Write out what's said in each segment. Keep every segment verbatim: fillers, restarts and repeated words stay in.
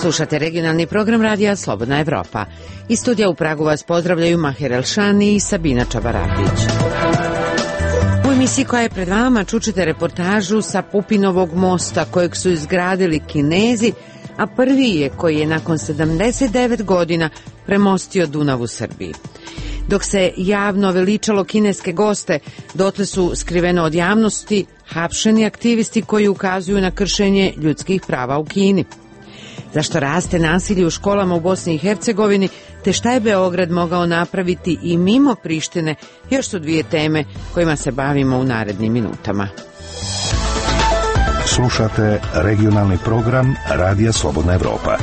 Slušate regionalni program radija Slobodna Evropa. Iz studija u Pragu vas pozdravljaju Maher Elšani i Sabina Čabaratić. U emisiji koja je pred vama čućete reportažu sa Pupinovog mosta kojeg su izgradili Kinezi, a prvi je koji je nakon sedamdeset devet godina premostio Dunav u Srbiji. Dok se javno veličalo kineske goste, dotle su skriveno od javnosti hapšeni aktivisti koji ukazuju na kršenje ljudskih prava u Kini. Zašto raste nasilje u školama u Bosni i Hercegovini, te šta je Beograd mogao napraviti i mimo Prištine, još su dvije teme kojima se bavimo u narednim minutama. Slušate regionalni program Radija Slobodna Evropa.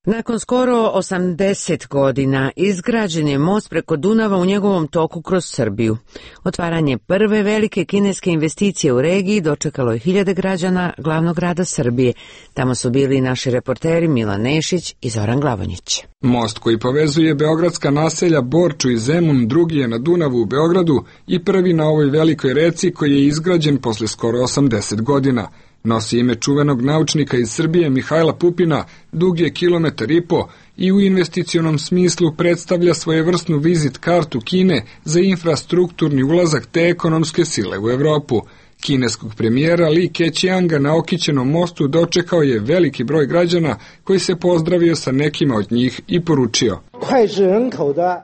Nakon skoro osamdeset godina izgrađen je most preko Dunava u njegovom toku kroz Srbiju. Otvaranje prve velike kineske investicije u regiji dočekalo je hiljade građana glavnog grada Srbije. Tamo su bili i naši reporteri Milan Nešić i Zoran Glavonjić. Most koji povezuje beogradska naselja Borču i Zemun drugi je na Dunavu u Beogradu i prvi na ovoj velikoj reci koji je izgrađen posle skoro osamdeset godina. Nosi ime čuvenog naučnika iz Srbije Mihajla Pupina, dug je kilometar i po i u investicionom smislu predstavlja svojevrsnu vizit kartu Kine za infrastrukturni ulazak te ekonomske sile u Evropu. Kineskog premijera Li Keqianga na okićenom mostu dočekao je veliki broj građana koji se pozdravio sa nekima od njih i poručio: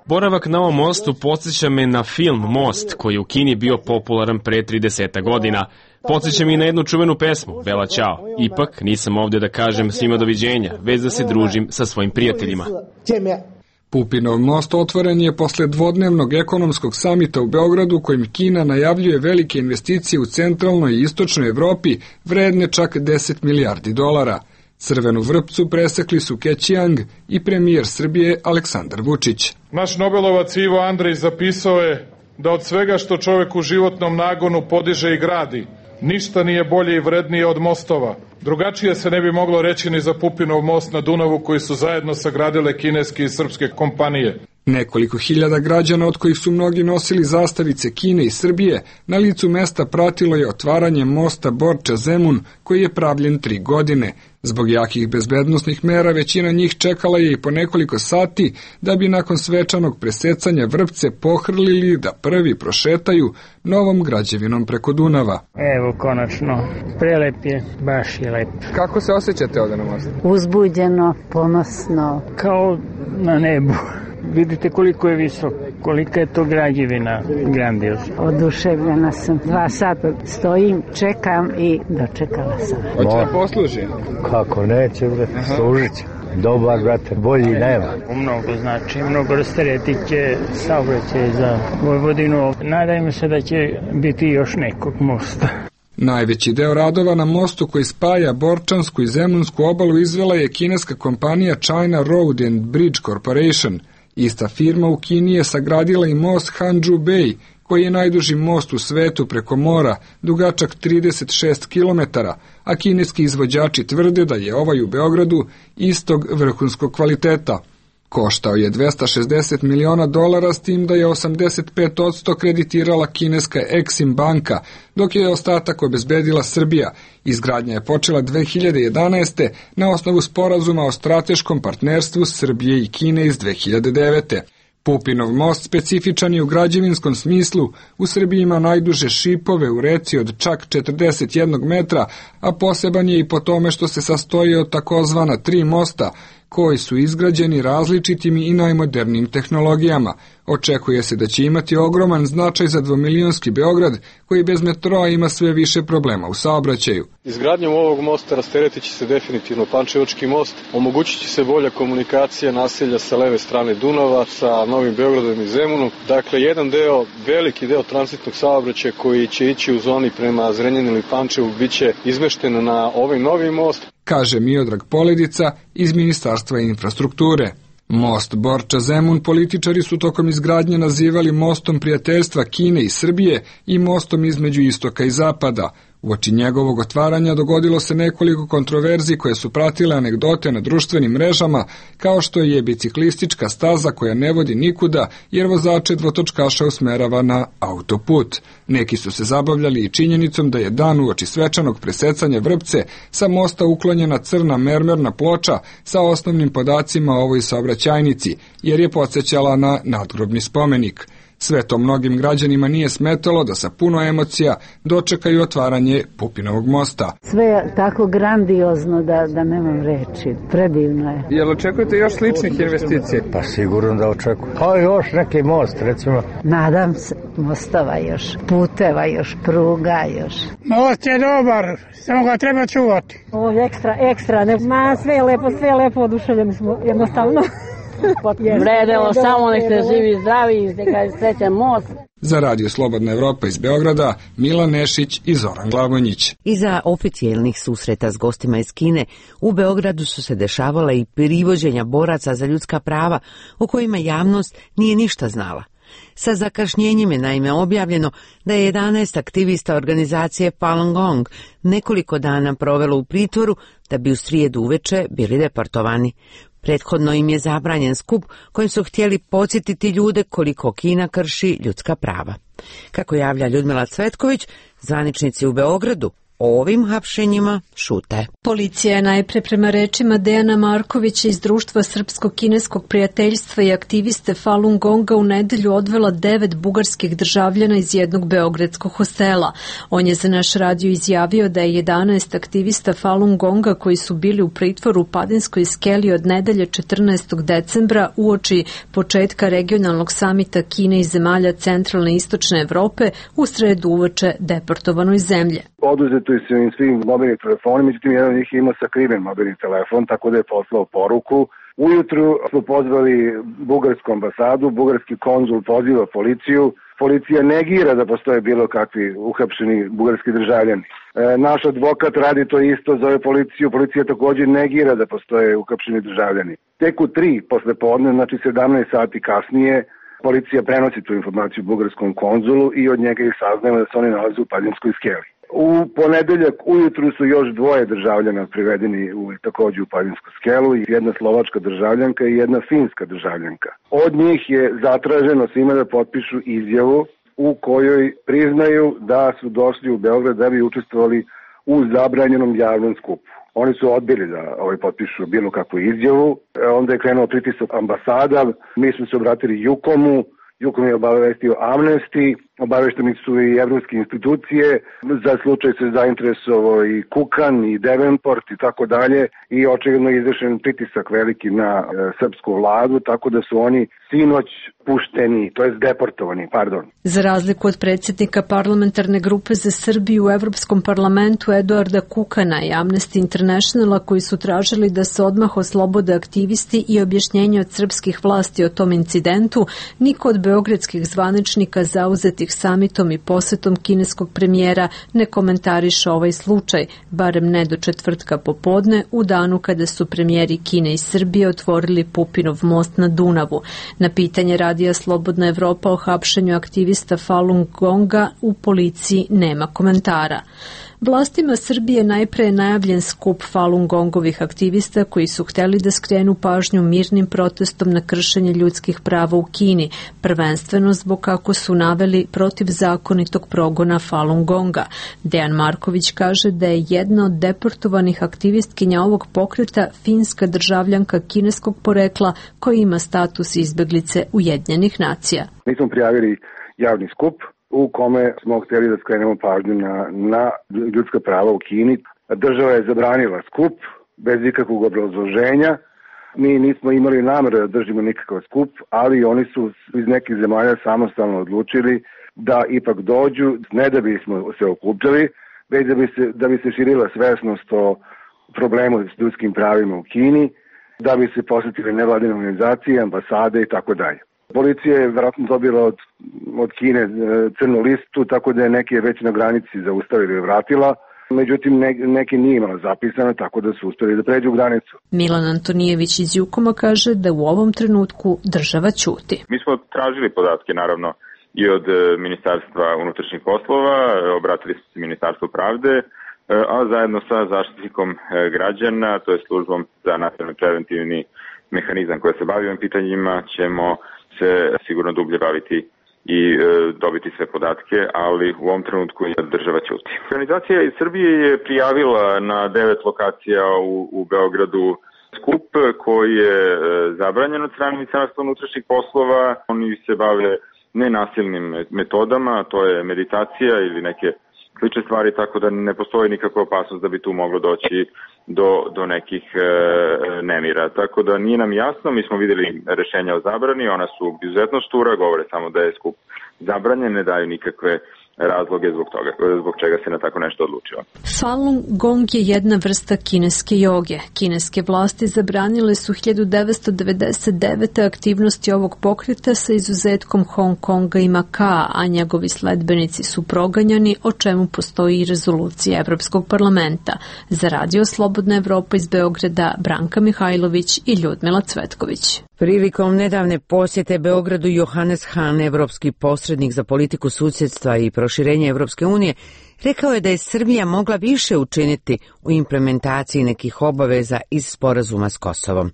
Boravak na ovom mostu podsjeća me na film Most, koji je u Kini bio popularan pre trideset godina. Podsjeća mi na jednu čuvenu pesmu, Bela Ćao. Ipak nisam ovdje da kažem svima doviđenja, već da se družim sa svojim prijateljima. Pupinov most otvoren je posle dvodnevnog ekonomskog samita u Beogradu kojim Kina najavljuje velike investicije u centralnoj i istočnoj Evropi vredne čak deset milijardi dolara. Crvenu vrpcu presekli su Keqiang i premijer Srbije Aleksandar Vučić. Naš Nobelovac Ivo Andrej zapisao je da od svega što čovek u životnom nagonu podiže i gradi, ništa nije bolje i vrednije od mostova. Drugačije se ne bi moglo reći ni za Pupinov most na Dunavu koji su zajedno sagradile kineske i srpske kompanije. Nekoliko hiljada građana, od kojih su mnogi nosili zastavice Kine i Srbije, na licu mesta pratilo je otvaranje mosta Borča-Zemun koji je pravljen tri godine. Zbog jakih bezbednosnih mera većina njih čekala je i po nekoliko sati da bi nakon svečanog presecanja vrpce pohrlili da prvi prošetaju novom građevinom preko Dunava. Evo, konačno, prelep je, baš je lep. Kako se osjećate ovdje na mostu? Uzbuđeno, ponosno, kao na nebu. Vidite koliko je visok, kolika je to građevina grandiozna. Oduševljena sam. Dva sata stojim, čekam i dočekala sam. Hoće da posluži? Kako neće, služit će. Dobar, brate, bolji nema. Mnogo znači, mnogo rasteretit će saobraćaj za Vojvodinu. Nadajmo se da će biti još nekog mosta. Najveći deo radova na mostu koji spaja Borčansku i Zemunsku obalu izvela je kineska kompanija China Road and Bridge Corporation. Ista firma u Kini je sagradila i most Hanju Bay, koji je najduži most u svetu preko mora, dugačak trideset šest kilometara, a kineski izvođači tvrde da je ovaj u Beogradu istog vrhunskog kvaliteta. Koštao je dvesta šezdeset miliona dolara, s tim da je osamdeset pet posto kreditirala kineska Exim banka, dok je ostatak obezbedila Srbija. Izgradnja je počela dve hiljade jedanaeste. na osnovu sporazuma o strateškom partnerstvu Srbije i Kine iz dve hiljade devete. Pupinov most specifičan je u građevinskom smislu, u Srbiji ima najduže šipove u reci od čak četrdeset jedan metra, a poseban je i po tome što se sastoji od takozvana tri mosta, koji su izgrađeni različitim i najmodernijim tehnologijama. Očekuje se da će imati ogroman značaj za dvomilionski Beograd, koji bez metroa ima sve više problema u saobraćaju. Izgradnjom ovog mosta rasteretit će se definitivno Pančevački most, omogućit će se bolja komunikacija naselja sa leve strane Dunava, sa Novim Beogradom i Zemunom. Dakle, jedan deo, veliki deo tranzitnog saobraćaja koji će ići u zoni prema Zrenjaninu ili Pančevu biće izmešten na ovaj novi most, kaže Miodrag Poledica iz Ministarstva infrastrukture. Most Borča-Zemun političari su tokom izgradnje nazivali mostom prijateljstva Kine i Srbije i mostom između istoka i zapada. Uoči njegovog otvaranja dogodilo se nekoliko kontroverzi koje su pratile anegdote na društvenim mrežama, kao što je biciklistička staza koja ne vodi nikuda jer vozače dvotočkaša usmerava na autoput. Neki su se zabavljali i činjenicom da je dan uoči svečanog presecanja vrpce sa mosta uklonjena crna mermerna ploča sa osnovnim podacima o ovoj saobraćajnici, jer je podsjećala na nadgrobni spomenik. Sve to mnogim građanima nije smetalo da sa puno emocija dočekaju otvaranje Pupinovog mosta. Sve je tako grandiozno da, da nemam reči. Predivno je. Jel očekujete još sličnih investicija? Pa sigurno da očekujem. Pa još neki most, recimo. Nadam se, mostova još, puteva još, pruga još. Most je dobar, samo ga treba čuvati. Ovo je ekstra, ekstra. Ne, ma, sve je lepo, sve je lepo, oduševljeni smo jednostavno. Vredelo, samo nek ste živi, zdravi, neka je srećan most. Za Radio Slobodna Evropa iz Beograda, Milan Nešić i Zoran Glavonjić. Iza oficijelnih susreta s gostima iz Kine, u Beogradu su se dešavala i privođenja boraca za ljudska prava, o kojima javnost nije ništa znala. Sa zakašnjenjem je naime objavljeno da je jedanaest aktivista organizacije Falun Gong nekoliko dana provelo u pritvoru da bi u srijedu uveče bili deportovani. Prethodno im je zabranjen skup kojim su htjeli podsjetiti ljude koliko Kina krši ljudska prava. Kako javlja Ljudmila Cvetković, zvaničnici u Beogradu o ovim hapšenjima šute. Policija je najpre prema rečima Dejana Markovića iz Društva srpsko-kineskog prijateljstva i aktiviste Falun Gonga u nedelju odvela devet bugarskih državljana iz jednog beogradskog hostela. On je za naš radio izjavio da je jedanaest aktivista Falun Gonga koji su bili u pritvoru u Padinskoj skeli od nedelje četrnaestog decembra uoči početka regionalnog samita Kine i zemalja centralne i istočne Evrope u sredu uveče deportovano iz zemlje. Oduzeto su im svim mobilni telefoni, međutim jedan od njih je imao sakriven mobilni telefon, tako da je poslao poruku. Ujutru smo pozvali bugarsku ambasadu, bugarski konzul poziva policiju. Policija negira da postoje bilo kakvi uhapšeni bugarski državljani. E, naš advokat radi to isto, zove policiju, policija također negira da postoje uhapšeni državljani. Tek u tri posle podne, znači sedamnaest sati kasnije, policija prenosi tu informaciju bugarskom konzulu i od njega ih saznajemo da se oni nalaze u Padinskoj skeli. U ponedeljak ujutru su još dvoje državljana privedeni u, također u Padinsku skelu, jedna slovačka državljanka i jedna finska državljanka. Od njih je zatraženo svima da potpišu izjavu u kojoj priznaju da su došli u Beograd da bi učestvovali u zabranjenom javnom skupu. Oni su odbili da ovaj potpišu bilo kakvu izjavu, onda je krenuo pritisak ambasada, mi smo se obratili Jukomu, Jukom je obavestio Amnesty, obavešteni su i evropske institucije, za slučaj se zainteresovao i Kukan i Devenport i tako dalje i očigledno je izvršen pritisak veliki na e, srpsku vladu, tako da su oni sinoć pušteni, to jest deportovani, pardon. Za razliku od predsjednika parlamentarne grupe za Srbiju u Evropskom parlamentu Eduarda Kukana i Amnesty Internationala koji su tražili da se odmah oslobode aktivisti i objašnjenje od srpskih vlasti o tom incidentu, niko od beogradskih zvaničnika zauzetih samitom i posetom kineskog premijera ne komentariše ovaj slučaj, barem ne do četvrtka popodne, u danu kada su premijeri Kine i Srbije otvorili Pupinov most na Dunavu. Na pitanje Radija Slobodna Evropa o hapšenju aktivista Falun Gonga u policiji nema komentara. Vlastima Srbije najpre je najavljen skup Falun Gongovih aktivista koji su hteli da skrenu pažnju mirnim protestom na kršenje ljudskih prava u Kini, prvenstveno zbog, kako su naveli, protivzakonitog progona Falun Gonga. Dejan Marković kaže da je jedna od deportovanih aktivistkinja ovog pokreta finska državljanka kineskog porekla koja ima status izbeglice Ujedinjenih nacija. Mi smo prijavili javni skup u kome smo htjeli da skrenemo pažnju na, na ljudska prava u Kini. Država je zabranila skup bez ikakvog obrazloženja. Mi nismo imali namere da držimo nikakav skup, ali oni su iz nekih zemalja samostalno odlučili da ipak dođu, ne da bismo se okupljali, već da bi se, da bi se širila svesnost o problemu s ljudskim pravima u Kini, da bi se posjetile nevladine organizacije, ambasade i tako dalje. Policija je vjerojatno dobila od, od Kine crnu listu, tako da je neke već na granici zaustavila i vratila. Međutim, ne, neke nije imala zapisano, tako da su uspjeli da pređu granicu. Milan Antonijević iz Jukoma kaže da u ovom trenutku država ćuti. Mi smo tražili podatke, naravno, i od Ministarstva unutrašnjih poslova, obratili smo se Ministarstvu pravde, a zajedno sa zaštitnikom građana, to je službom za nacionalni preventivni mehanizam koja se bavi ovim pitanjima, ćemo se sigurno dublje baviti i e, dobiti sve podatke, ali u ovom trenutku država ćuti. Organizacija iz Srbije je prijavila na devet lokacija u, u Beogradu skup koji je e, zabranjen od strane Ministarstva unutrašnjih poslova. Oni se bave nenasilnim metodama, to je meditacija ili neke slične stvari, tako da ne postoji nikakva opasnost da bi tu moglo doći do, do nekih e, nemira. Tako da nije nam jasno, mi smo videli rešenja o zabrani, ona su izuzetno štura, govore samo da je skup zabranjen, ne daju nikakve razloge zbog toga, zbog čega se na tako nešto odlučilo. Falun Gong je jedna vrsta kineske joge. Kineske vlasti zabranile su hiljadu devetsto devedeset devete. aktivnosti ovog pokreta sa izuzetkom Hong Konga i Makaa, a njegovi sledbenici su proganjani, o čemu postoji i rezolucija Evropskog parlamenta. Za Radio Slobodna Evropa iz Beograda, Branka Mihajlović i Ljudmila Cvetković. Prilikom nedavne posjete Beogradu Johannes Hahn, evropski posrednik za politiku susjedstva i proširenje Evropske unije, rekao je da je Srbija mogla više učiniti u implementaciji nekih obaveza iz sporazuma s Kosovom.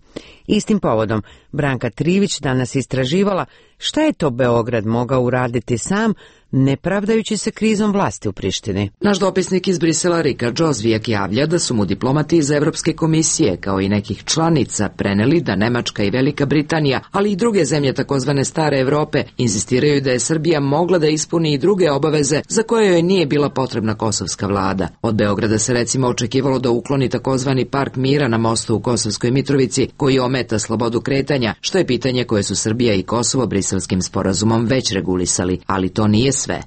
Istim povodom, Branka Trivić danas istraživala šta je to Beograd mogao uraditi sam, ne pravdajući se krizom vlasti u Prištini. Naš dopisnik iz Brisela Rika Džozvijak javlja da su mu diplomati iz Evropske komisije, kao i nekih članica, preneli da Nemačka i Velika Britanija, ali i druge zemlje takozvane stare Evrope, insistiraju da je Srbija mogla da ispuni i druge obaveze za koje joj nije bila potrebna kosovska vlada. Od Beograda se recimo očekivalo da ukloni takozvani park mira na mostu u Kosovskoj Mitrovici, koji ometa slobodu kretanja, što je pitanje koje su Srbija i Kosovo Briselskim sporazumom već regulisali, ali to nije sve.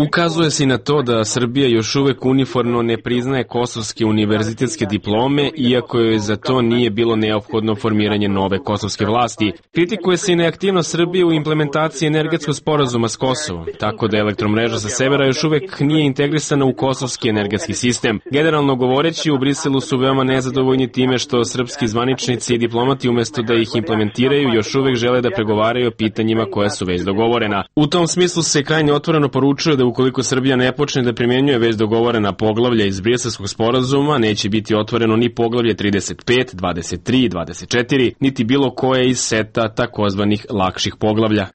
Ukazuje se i na to da Srbija još uvek uniformno ne priznaje kosovske univerzitetske diplome, iako joj za to nije bilo neophodno formiranje nove kosovske vlasti. Kritikuje se i neaktivnost Srbije u implementaciji energetskog sporazuma s Kosovom, tako da elektromreža sa severa još uvek nije integrisana u kosovski energetski sistem. Generalno govoreći, u Briselu su veoma nezadovoljni time što srpski zvaničnici i diplomati umesto da ih implementiraju još uvek žele da pregovaraju o pitanjima koja su već dogovorena. U tom smislu se krajnje otvoreno poručuje da ukoliko Srbija ne počne da primjenjuje već dogovorena poglavlja iz Briselskog sporazuma, neće biti otvoreno ni poglavlje trideset pet, dvadeset tri i dvadeset četiri, niti bilo koje iz seta takozvanih lakših poglavlja.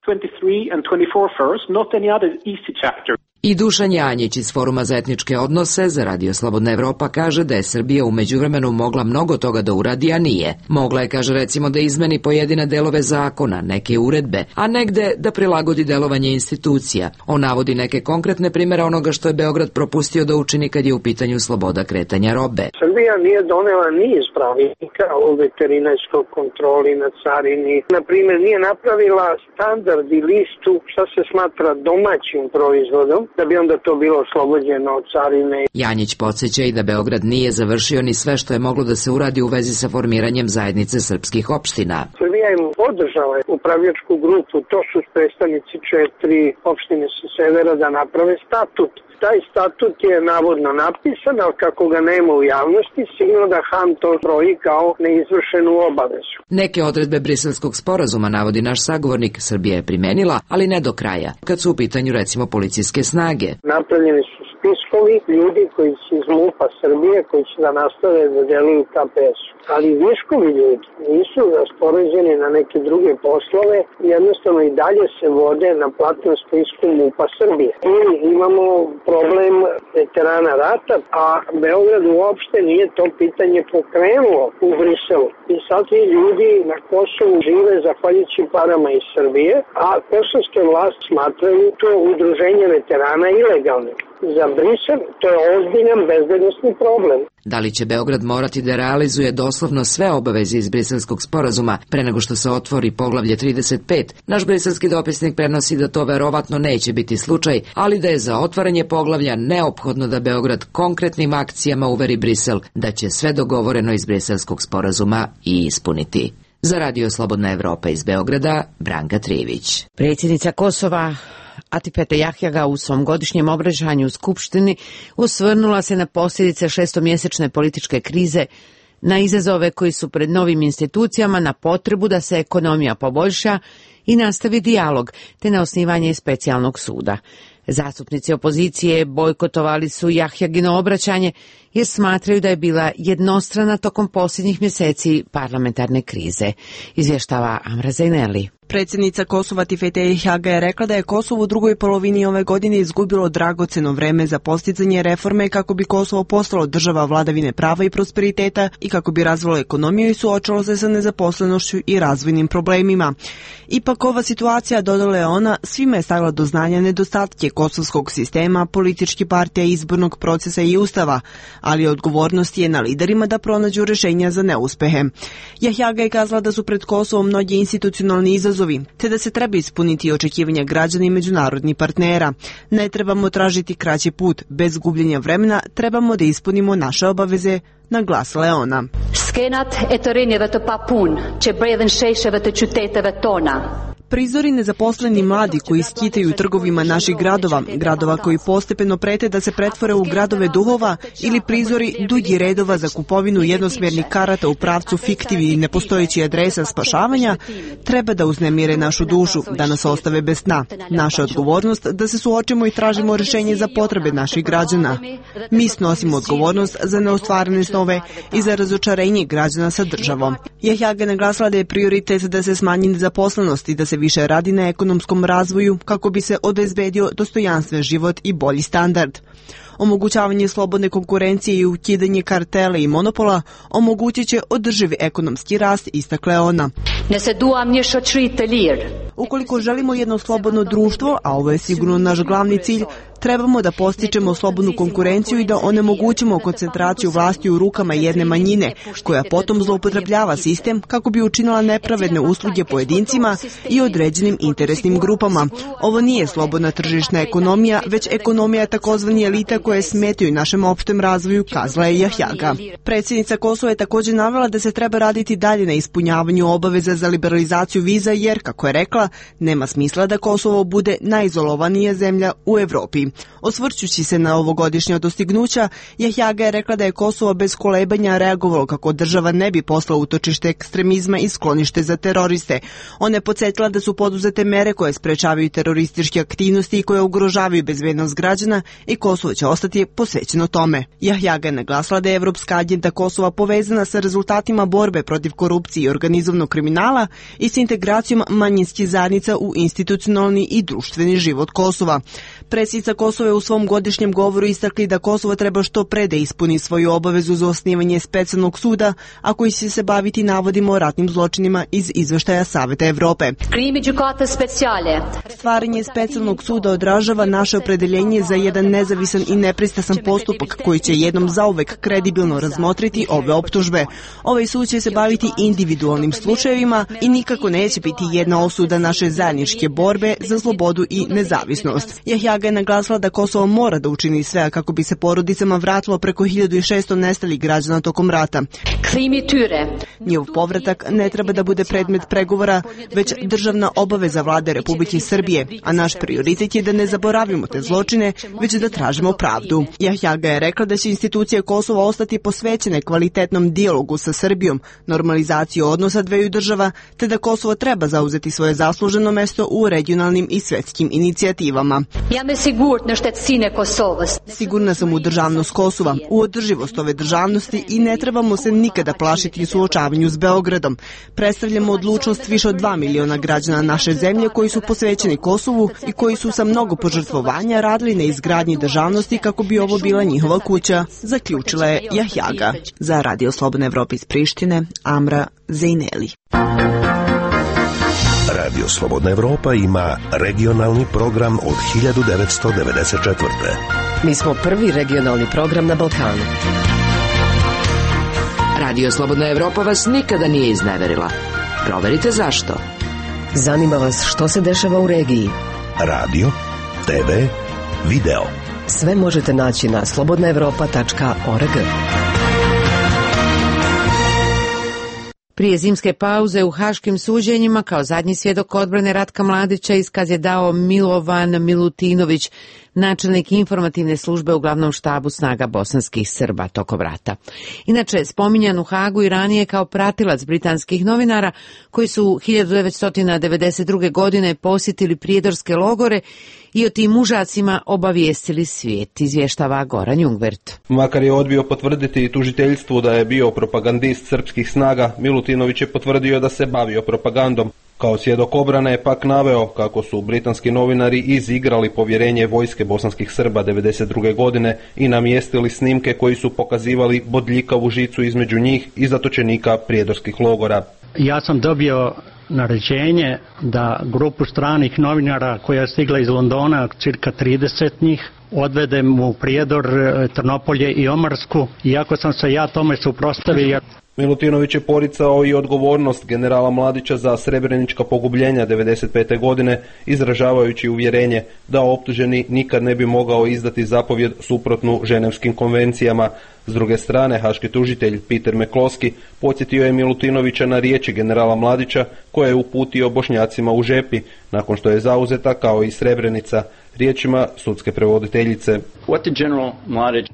I Dušan Janjić iz Foruma za etničke odnose za Radio Slobodna Evropa kaže da je Srbija u međuvremenu mogla mnogo toga da uradi, a nije. Mogla je, kaže, recimo da izmeni pojedine delove zakona, neke uredbe, a negde da prilagodi delovanje institucija. On navodi neke konkretne primere onoga što je Beograd propustio da učini kad je u pitanju sloboda kretanja robe. Srbija nije donela niz pravilnika o veterinarskoj kontroli na carini. Na primjer, nije napravila standard i listu šta se smatra domaćim proizvodom, da bi onda to bilo oslobođeno od carine. Janjić podsjeća i da Beograd nije završio ni sve što je moglo da se uradi u vezi sa formiranjem zajednice srpskih opština. Srbija im podržala upravljačku grupu, to su predstavnici četiri opštine sa severa da naprave statut. Taj statut je navodno napisan, ali kako ga nema u javnosti, sigurno da Han to broji kao neizvršenu obavezu. Neke odredbe Briselskog sporazuma, navodi naš sagovornik, Srbija je primenila, ali ne do kraja, kad su u pitanju recimo policijske snage. Napravljeni su spiskovi ljudi koji su iz MUP-a Srbije, koji će da nastave da deluju K P S-u. Ali viškovi ljudi nisu raspoređeni na neke druge poslove, jednostavno i dalje se vode na platnom spisku MUP-a Srbije. I imamo problem veterana rata, a Beograd uopšte nije to pitanje pokrenuo u Briselu. I sad ti ljudi na Kosovu žive zahvaljujući parama iz Srbije, a kosovske vlasti smatraju to udruženje veterana ilegalnim. Za Brisel to je ozbiljan bezbednosni problem. Da li će Beograd morati da realizuje doslovno sve obaveze iz Briselskog sporazuma pre nego što se otvori poglavlje trideset pet? Naš briselski dopisnik prenosi da to verovatno neće biti slučaj, ali da je za otvaranje poglavlja neophodno da Beograd konkretnim akcijama uveri Brisel da će sve dogovoreno iz Briselskog sporazuma i ispuniti. Za Radio Slobodna Evropa iz Beograda, Branka Trivić. Predsjednica Kosova Atipete Jahjaga u svom godišnjem obraćanju u Skupštini osvrnula se na posljedice šestomjesečne političke krize na izazove koji su pred novim institucijama, na potrebu da se ekonomija poboljša i nastavi dijalog, te na osnivanje specijalnog suda. Zastupnici opozicije bojkotovali su Jahjagino obraćanje jer smatraju da je bila jednostrana tokom posljednjih mjeseci parlamentarne krize, izvještava Amra Zaineli. Predsjednica Kosova Tifete Jahjaga je rekla da je Kosovo u drugoj polovini ove godine izgubilo dragoceno vreme za postizanje reforme kako bi Kosovo postalo država vladavine prava i prosperiteta i kako bi razvilo ekonomiju i suočilo se sa nezaposlenošću i razvojnim problemima. Ipak ova situacija, dodala je ona, svima je stavila do znanja nedostatke kosovskog sistema, političkih partija, izbornog procesa i ustava, ali odgovornost je na liderima da pronađu rješenja za neuspehe. Jahjaga je kazala da su pred Kosovom mnogi institucionalni izazovi, te da se treba ispuniti očekivanja građana i međunarodnih partnera. Ne trebamo tražiti kraći put, bez gubljenja vremena trebamo da ispunimo naše obaveze, naglasila je ona. Skenat e të rinjeve të papun, që bredhen shesheve të qyteteve tona. Prizori nezaposleni mladi koji skitaju u trgovima naših gradova, gradova koji postepeno prete da se pretvore u gradove duhova, ili prizori dugi redova za kupovinu jednosmjernih karata u pravcu fiktivnih i nepostojećih adresa spašavanja, treba da uznemire našu dušu, da nas ostave bez sna. Naša odgovornost da se suočimo i tražimo rješenje za potrebe naših građana. Mi snosimo odgovornost za neostvarene snove i za razočarenje građana sa državom. Jahjaga naglasila da je prioritet da se smanji nezaposlenost i da se više radi na ekonomskom razvoju kako bi se obezbedio dostojanstven život i bolji standard. Omogućavanje slobodne konkurencije i ukidanje kartela i monopola omogućit će održivi ekonomski rast, istakla je ona. Ukoliko želimo jedno slobodno društvo, a ovo je sigurno naš glavni cilj, trebamo da postičemo slobodnu konkurenciju i da onemogućimo koncentraciju vlasti u rukama jedne manjine, koja potom zloupotrebljava sistem kako bi učinila nepravedne usluge pojedincima i određenim interesnim grupama. Ovo nije slobodna tržišna ekonomija, već ekonomija takozvani elita koje smetaju našem opštem razvoju, kazala je Jahjaga. Predsjednica Kosova je također navela da se treba raditi dalje na ispunjavanju obaveza za liberalizaciju viza, jer, kako je rekla, nema smisla da Kosovo bude najizolovanija zemlja u Evropi. Osvrćući se na ovogodišnja dostignuća, Jahjaga je rekla da je Kosovo bez kolebanja reagovalo kako država ne bi poslala utočište ekstremizma i sklonište za teroriste. Ona je podsjetila da su poduzete mere koje sprečavaju terorističke aktivnosti i koje ugrožavaju bezbednost građana i Kosovo će ostati posvećeno tome. Jahjaga je naglasila da je Evropska agenda Kosova povezana sa rezultatima borbe protiv korupcije i organizovanog kriminala i s integracijom manjinskih zajednica u institucionalni i društveni život Kosova. Predsjednica Kosova je u svom godišnjem govoru istakli da Kosovo treba što pre da ispuni svoju obavezu za osnivanje specijalnog suda, a koji će se baviti navodima o ratnim zločinima iz izveštaja Saveta Evrope. Stvaranje specijalnog suda odražava naše opredeljenje za jedan nezavisan i nepristrasan postupak koji će jednom zauvek kredibilno razmotriti ove optužbe. Ovaj sud će se baviti individualnim slučajevima i nikako neće biti jedna osuda naše zajedničke borbe za slobodu i nezavisnost. Jahjaga je naglasila da Kosovo mora da učini sve kako bi se porodicama vratilo preko hiljadu šesto nestalih građana tokom rata. Njihov povratak ne treba da bude predmet pregovora, već državna obaveza vlade Republike Srbije, a naš prioritet je da ne zaboravimo te zločine, već da tražimo pravdu. Jahjaga je rekla da će institucije Kosova ostati posvećene kvalitetnom dijalogu sa Srbijom, normalizaciji odnosa dveju država, te da Kosovo treba zauzeti svoje zasluženo mesto u regionalnim i svetskim inicijativama. Sigurna sam u državnost Kosova, u održivost ove državnosti i ne trebamo se nikada plašiti u suočavanju s Beogradom. Predstavljamo odlučnost više od dva miliona građana naše zemlje koji su posvećeni Kosovu i koji su sa mnogo požrtvovanja radili na izgradnji državnosti kako bi ovo bila njihova kuća, zaključila je Jahjaga. Za Radio Slobodna Evropa iz Prištine, Amra Zaineli. Radio Slobodna Evropa ima regionalni program od hiljadu devetsto devedeset četvrte. Mi smo prvi regionalni program na Balkanu. Radio Slobodna Evropa vas nikada nije izneverila. Proverite zašto. Zanima vas što se dešava u regiji. Radio, te ve, video. Sve možete naći na slobodna evropa tačka org. Prije zimske pauze u haškim suđenjima kao zadnji svjedok odbrane Ratka Mladića iskaz je dao Milovan Milutinović, načelnik informativne službe u glavnom štabu snaga bosanskih Srba tokom rata. Inače, spominjan u Hagu i ranije kao pratilac britanskih novinara koji su hiljadu devetsto devedeset druge. godine posjetili prijedorske logore i o tim užacima obavijestili svijet, izvještava Goran Jungwirth. Makar je odbio potvrditi tužiteljstvu da je bio propagandist srpskih snaga, Milutinović je potvrdio da se bavio propagandom. Kao svjedok obrane je pak naveo kako su britanski novinari izigrali povjerenje vojske bosanskih Srba devedeset druge. godine i namjestili snimke koji su pokazivali bodljikavu žicu između njih i zatočenika prijedorskih logora. Ja sam dobio naređenje da grupu stranih novinara koja je stigla iz Londona, cirka trideset njih, odvedem u Prijedor, Trnopolje i Omarsku, iako sam se ja tome suprotstavio. Milutinović je poricao i odgovornost generala Mladića za srebrenička pogubljenja devedeset pete. godine, izražavajući uvjerenje da optuženi nikad ne bi mogao izdati zapovjed suprotnu ženevskim konvencijama. S druge strane, haški tužitelj Peter McCloskey podsjetio je Milutinovića na riječi generala Mladića koje je uputio Bošnjacima u Žepi, nakon što je zauzeta kao i Srebrenica, riječima sudske prevoditeljice. What did General Mladić...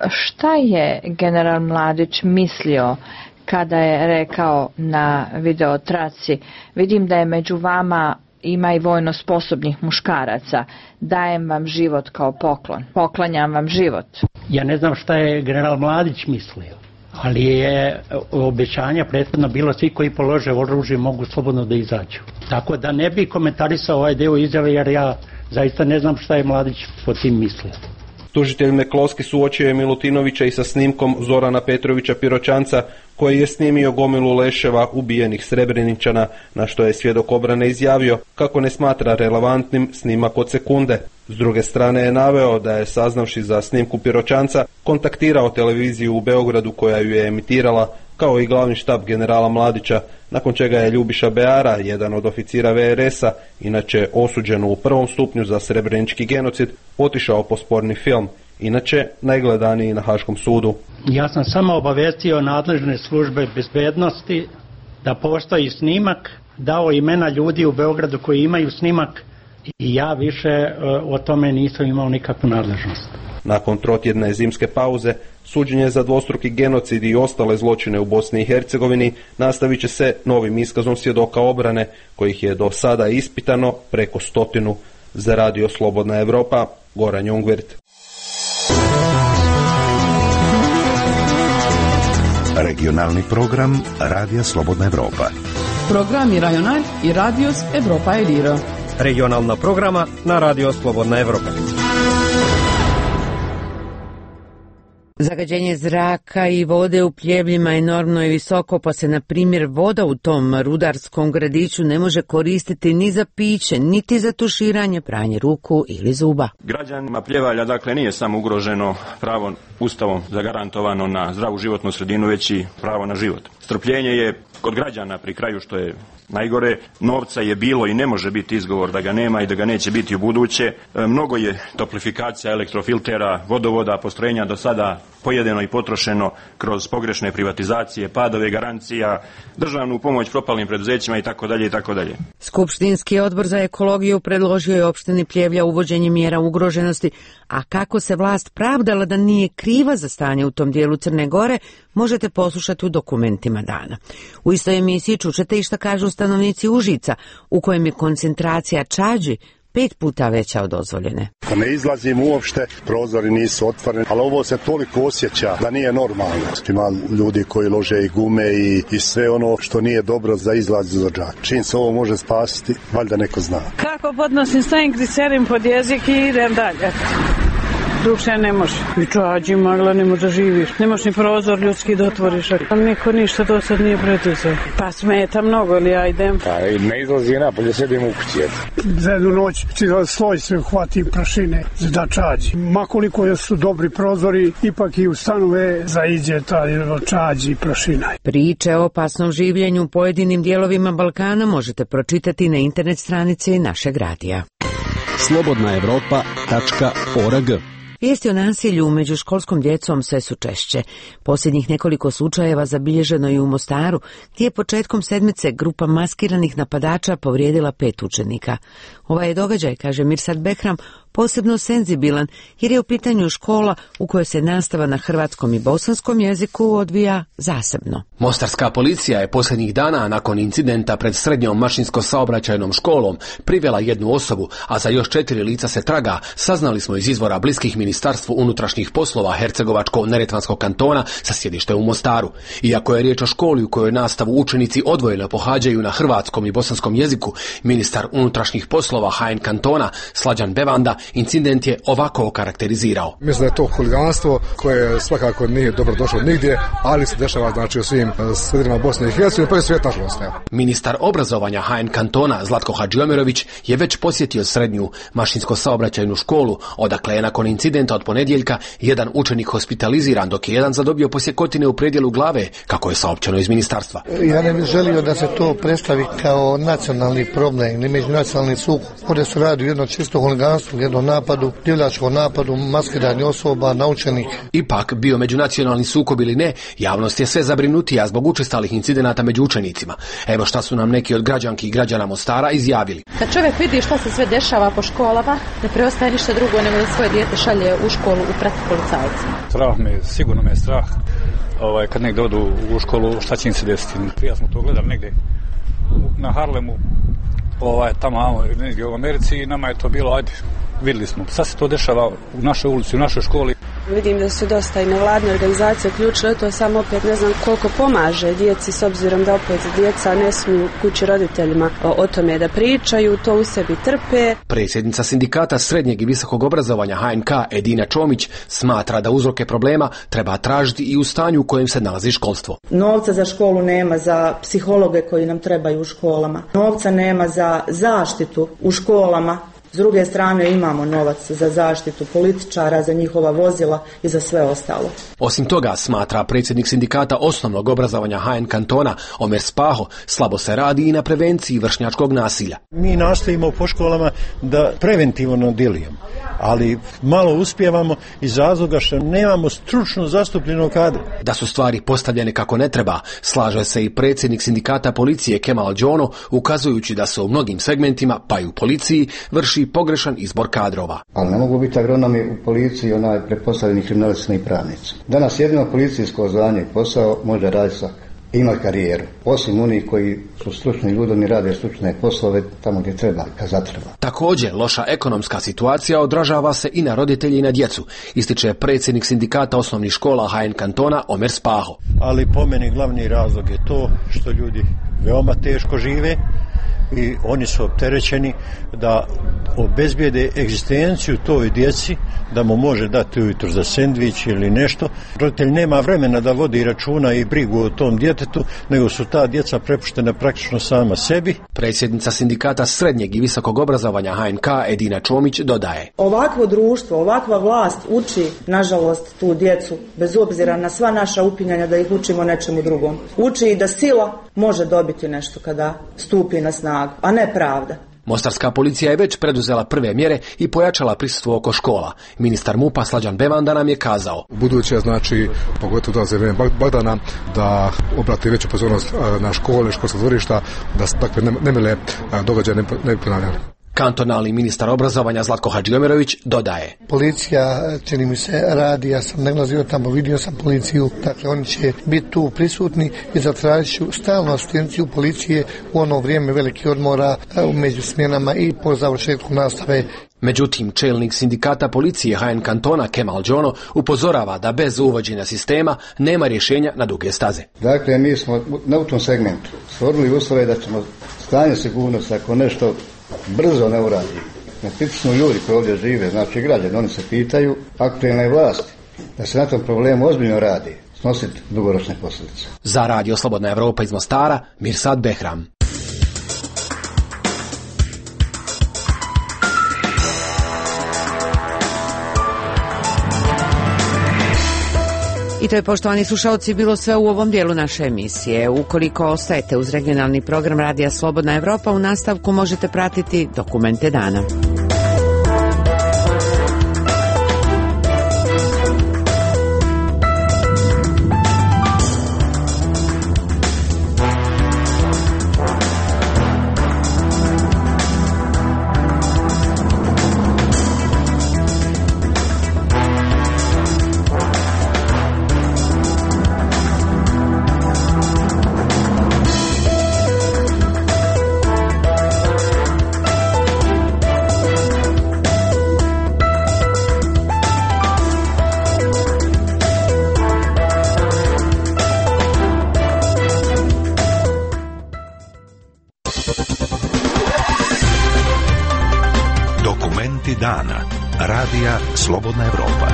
Šta je general Mladić mislio kada je rekao na videotraci: vidim da je među vama ima i vojno sposobnih muškaraca, dajem vam život kao poklon, poklanjam vam život. Ja ne znam šta je general Mladić mislio, ali je obećanja prethodno bilo svi koji polože oružje mogu slobodno da izađu. Tako da ne bi komentarisao ovaj deo izjave jer ja zaista ne znam šta je Mladić po tim mislio. Tužitelj McCloskey suočio je Milutinovića i sa snimkom Zorana Petrovića Piroćanca koji je snimio gomilu leševa ubijenih Srebreničana, na što je svjedok obrane izjavio kako ne smatra relevantnim snimak od sekunde. S druge strane je naveo da je, saznavši za snimku Piroćanca, kontaktirao televiziju u Beogradu koja ju je emitirala, kao i glavni štab generala Mladića, nakon čega je Ljubiša Beara, jedan od oficira V R S-a, inače osuđen u prvom stupnju za srebrenički genocid, otišao po sporni film, inače najgledaniji na Haškom sudu. Ja sam samo obavestio nadležne službe bezbednosti da postoji snimak, dao imena ljudi u Beogradu koji imaju snimak i ja više o tome nisam imao nikakvu nadležnost. Nakon trotjedne zimske pauze, suđenje za dvostruki genocid i ostale zločine u Bosni i Hercegovini nastavit će se novim iskazom svjedoka obrane, kojih je do sada ispitano preko stotinu. Za Radio Slobodna Evropa, Goran Jungwirth. Regionalni program Radija Slobodna Evropa. Programi Rajonal i Radios Evropa Eliro. Regionalna programa na Radio Slobodna Evropa. Zagađenje zraka i vode u Pljevljima enormno je visoko, pa se, na primjer, voda u tom rudarskom gradiću ne može koristiti ni za piće, niti za tuširanje, pranje ruku ili zuba. Građanima Pljevalja, dakle, nije samo ugroženo pravo Ustavom zagarantovano na zdravu životnu sredinu, već i pravo na život. Strpljenje je kod građana pri kraju, što je najgore. Novca je bilo i ne može biti izgovor da ga nema i da ga neće biti u buduće. E, mnogo je toplifikacija, elektrofiltera, vodovoda, postrojenja do sada pojedeno i potrošeno kroz pogrešne privatizacije, padove garancija, državnu pomoć propalim preduzećima i tako dalje i tako dalje. Skupštinski odbor za ekologiju predložio je opštini Pljevlja uvođenje mjera ugroženosti, a kako se vlast pravdala da nije kriva za stanje u tom dijelu Crne Gore, možete poslušati u dokumentima dana. U istoj emisiji čućete i šta kažu stanovnici Užica, u kojem je koncentracija čađi pet puta veća od dozvoljene. Ne izlazim uopšte, prozori nisu otvoreni, ali ovo se toliko osjeća da nije normalno. Ima ljudi koji lože i gume i, i sve ono što nije dobro za izlaz za džak. Čim se ovo može spasiti, valjda neko zna. Kako podnosim, stavim glicerin pod jezik i idem dalje. Drugše ne može. I čađi magla, ne može da živiš. Nemaš ni prozor ljudski da otvoriš. Niko ništa do sad nije pretizao. Pa smeta mnogo, ali ja idem. Pa ne izlazi napolje, sedim u kući. Za jednu noć sloj se hvati prašine da čađi. Makoliko su dobri prozori, ipak i u stanove zaiđe ta čađi i prašina. Priče o opasnom življenju u pojedinim dijelovima Balkana možete pročitati na internet stranici našeg radija. slobodna evropa tačka org. Vijesti o nasilju među školskom djecom sve su češće. Posljednjih nekoliko slučajeva zabilježeno i u Mostaru, gdje je početkom sedmice grupa maskiranih napadača povrijedila pet učenika. Ovaj je događaj, kaže Mirsad Behram, posebno senzibilan jer je u pitanju škola u kojoj se nastava na hrvatskom i bosanskom jeziku odvija zasebno. Mostarska policija je posljednjih dana nakon incidenta pred srednjom mašinsko-saobraćajnom školom privela jednu osobu, a za još četiri lica se traga, saznali smo iz izvora bliskih Ministarstvu unutrašnjih poslova Hercegovačko-neretvanskog kantona sa sjedište u Mostaru. Iako je riječ o školi u kojoj nastavu učenici odvojeno pohađaju na hrvatskom i bosanskom jeziku, ministar unutrašnjih poslova H N kantona Slađan Bevanda incident je ovako okarakterizirao. Mislim da je to huliganstvo koje svakako nije dobro došlo nigdje, ali se dešava znači u svim sredinama Bosne i Hercegovine, pa i svijet nažalost. Ministar obrazovanja H N kantona Zlatko Hadžiomirović je već posjetio srednju mašinsko-saobraćajnu školu, odakle je nakon incidenta od ponedjeljka jedan učenik hospitaliziran, dok je jedan zadobio posjekotine u predjelu glave, kako je saopćeno iz ministarstva. Ja ne bih želio da se to predstavi kao nacionalni problem ili međunacionalni sukob. Ovdje se radi o jednom čisto huliganstvu, jednom napadu, divljačkom napadu, maskiranje osoba, naučenih. Ipak, bio međunacionalni sukob ili ne, javnost je sve zabrinutija zbog učestalih incidenata među učenicima. Evo šta su nam neki od građanki i građana Mostara izjavili. Kad čovjek vidi šta se sve dešava po školama, ne preostaje ništa drugo nego da svoje dijete šalje u školu u prati policajca. Strah me, sigurno me je strah. Ovaj, kad negdje odu u školu, šta će im se desiti? Prije smo to gledali negdje na Harlemu, ovaj, tamo negdje u Americi i nama je to bilo, ajde, vidjeli smo. Sad se to dešava u našoj ulici, u našoj školi. Vidim da su dosta i nevladne organizacije uključile, to samo opet ne znam koliko pomaže djeci, s obzirom da opet djeca ne smiju kući roditeljima o, o tome da pričaju, to u sebi trpe. Predsjednica sindikata srednjeg i visokog obrazovanja H N K Edina Čomić smatra da uzroke problema treba tražiti i u stanju u kojem se nalazi školstvo. Novca za školu nema, za psihologe koji nam trebaju u školama. Novca nema za zaštitu u školama. S druge strane imamo novac za zaštitu političara, za njihova vozila i za sve ostalo. Osim toga, smatra predsjednik sindikata osnovnog obrazovanja H N kantona Omer Spaho, slabo se radi i na prevenciji vršnjačkog nasilja. Mi nastojimo po školama da preventivno djelujemo, ali malo uspijevamo iz razloga što nemamo stručno zastupljenog kadra. Da su stvari postavljene kako ne treba, slaže se i predsjednik sindikata policije Kemal Đono, ukazujući da se u mnogim segmentima, pa i u policiji, vrši pogrešan izbor kadrova. Ali ne mogu biti agronomi u policiji onaj prepostavljeni kriminalisti i pravnici. Danas jedino policijsko zvanje i posao može raditi svak. Ima karijeru. Osim onih koji su stručni ljudi, oni rade stručne poslove tamo gdje treba, kad zatreba. Također, loša ekonomska situacija odražava se i na roditelji i na djecu, ističe predsjednik sindikata osnovnih škola H N kantona Omer Spaho. Ali po meni glavni razlog je to što ljudi veoma teško žive i oni su opterećeni da obezbijede egzistenciju toj djeci, da mu može dati ujutro za sendvič ili nešto. Roditelj nema vremena da vodi računa i brigu o tom djetetu, nego su ta djeca prepuštena praktično sama sebi. Predsjednica sindikata srednjeg i visokog obrazovanja H N K Edina Čomić dodaje. Ovakvo društvo, ovakva vlast uči, nažalost, tu djecu, bez obzira na sva naša upinjanja da ih učimo nečemu drugom. Uči i da sila može dobiti nešto kada stupi na snagu, a ne pravda. Mostarska policija je već preduzela prve mjere i pojačala prisustvo oko škola. Ministar M U P-a Slađan Bevanda nam je kazao. Buduće, znači, pogotovo da za vrijeme Bagdana, da obrati veću pozornost na škole, školska dvorišta, da se takve nemile događaje ne, ne ponavljaju. Kantonalni ministar obrazovanja Zlatko Hadžiomirović dodaje. Policija, čini mi se, radi, ja sam naglazio tamo, vidio sam policiju, dakle oni će biti tu prisutni i zatražit ću stalnu asistenciju policije u ono vrijeme velikih odmora, među smjenama i po završetku nastave. Međutim, čelnik sindikata policije H N kantona Kemal Đono upozorava da bez uvođenja sistema nema rješenja na duge staze. Dakle, mi smo na u tom segmentu stvorili uslove da ćemo stanje sigurnosti, ako nešto brzo ne uradi. Tipično ljudi koji ovdje žive, znači građani, oni se pitaju aktualne vlasti da se na tom problemu ozbiljno radi, snositi dugoročne posljedice. Za Radio Slobodna Evropa iz Mostara, Mirsad Behram. I to je, poštovani slušalci, bilo sve u ovom dijelu naše emisije. Ukoliko ostajete uz regionalni program Radija Slobodna Evropa, u nastavku možete pratiti Dokumente dana. Dokumenti dana. Radija Slobodna Evropa.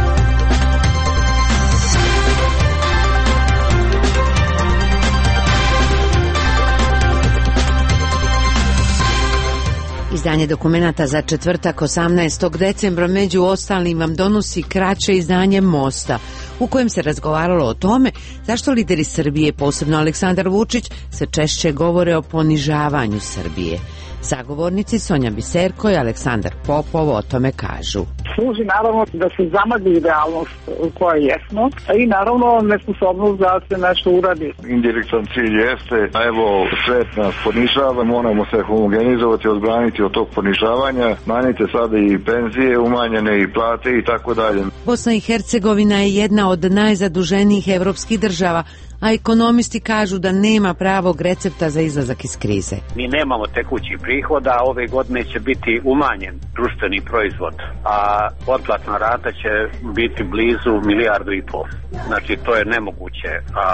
Izdanje dokumenata za četvrtak osamnaestog decembra među ostalim vam donosi kraće izdanje Mosta, u kojem se razgovaralo o tome zašto lideri Srbije, posebno Aleksandar Vučić, se češće govore o ponižavanju Srbije. Sagovornici Sonja Biserko i Aleksandar Popov o tome kažu. Služi naravno da se zamagli realnost u kojoj jesmo i naravno nesposobnost da se nešto uradi. Indirektan cilj jeste, a evo svet nas ponižava, moramo se homogenizovati, odbraniti od tog ponižavanja, manjite sada i penzije, umanjene i plate i tako dalje. Bosna i Hercegovina je jedna od najzaduženijih evropskih država, a ekonomisti kažu da nema pravog recepta za izlazak iz krize. Mi nemamo tekući prihoda, ove godine će biti umanjen društveni proizvod, a otplatna rata će biti blizu milijardu i pol. Znači to je nemoguće, a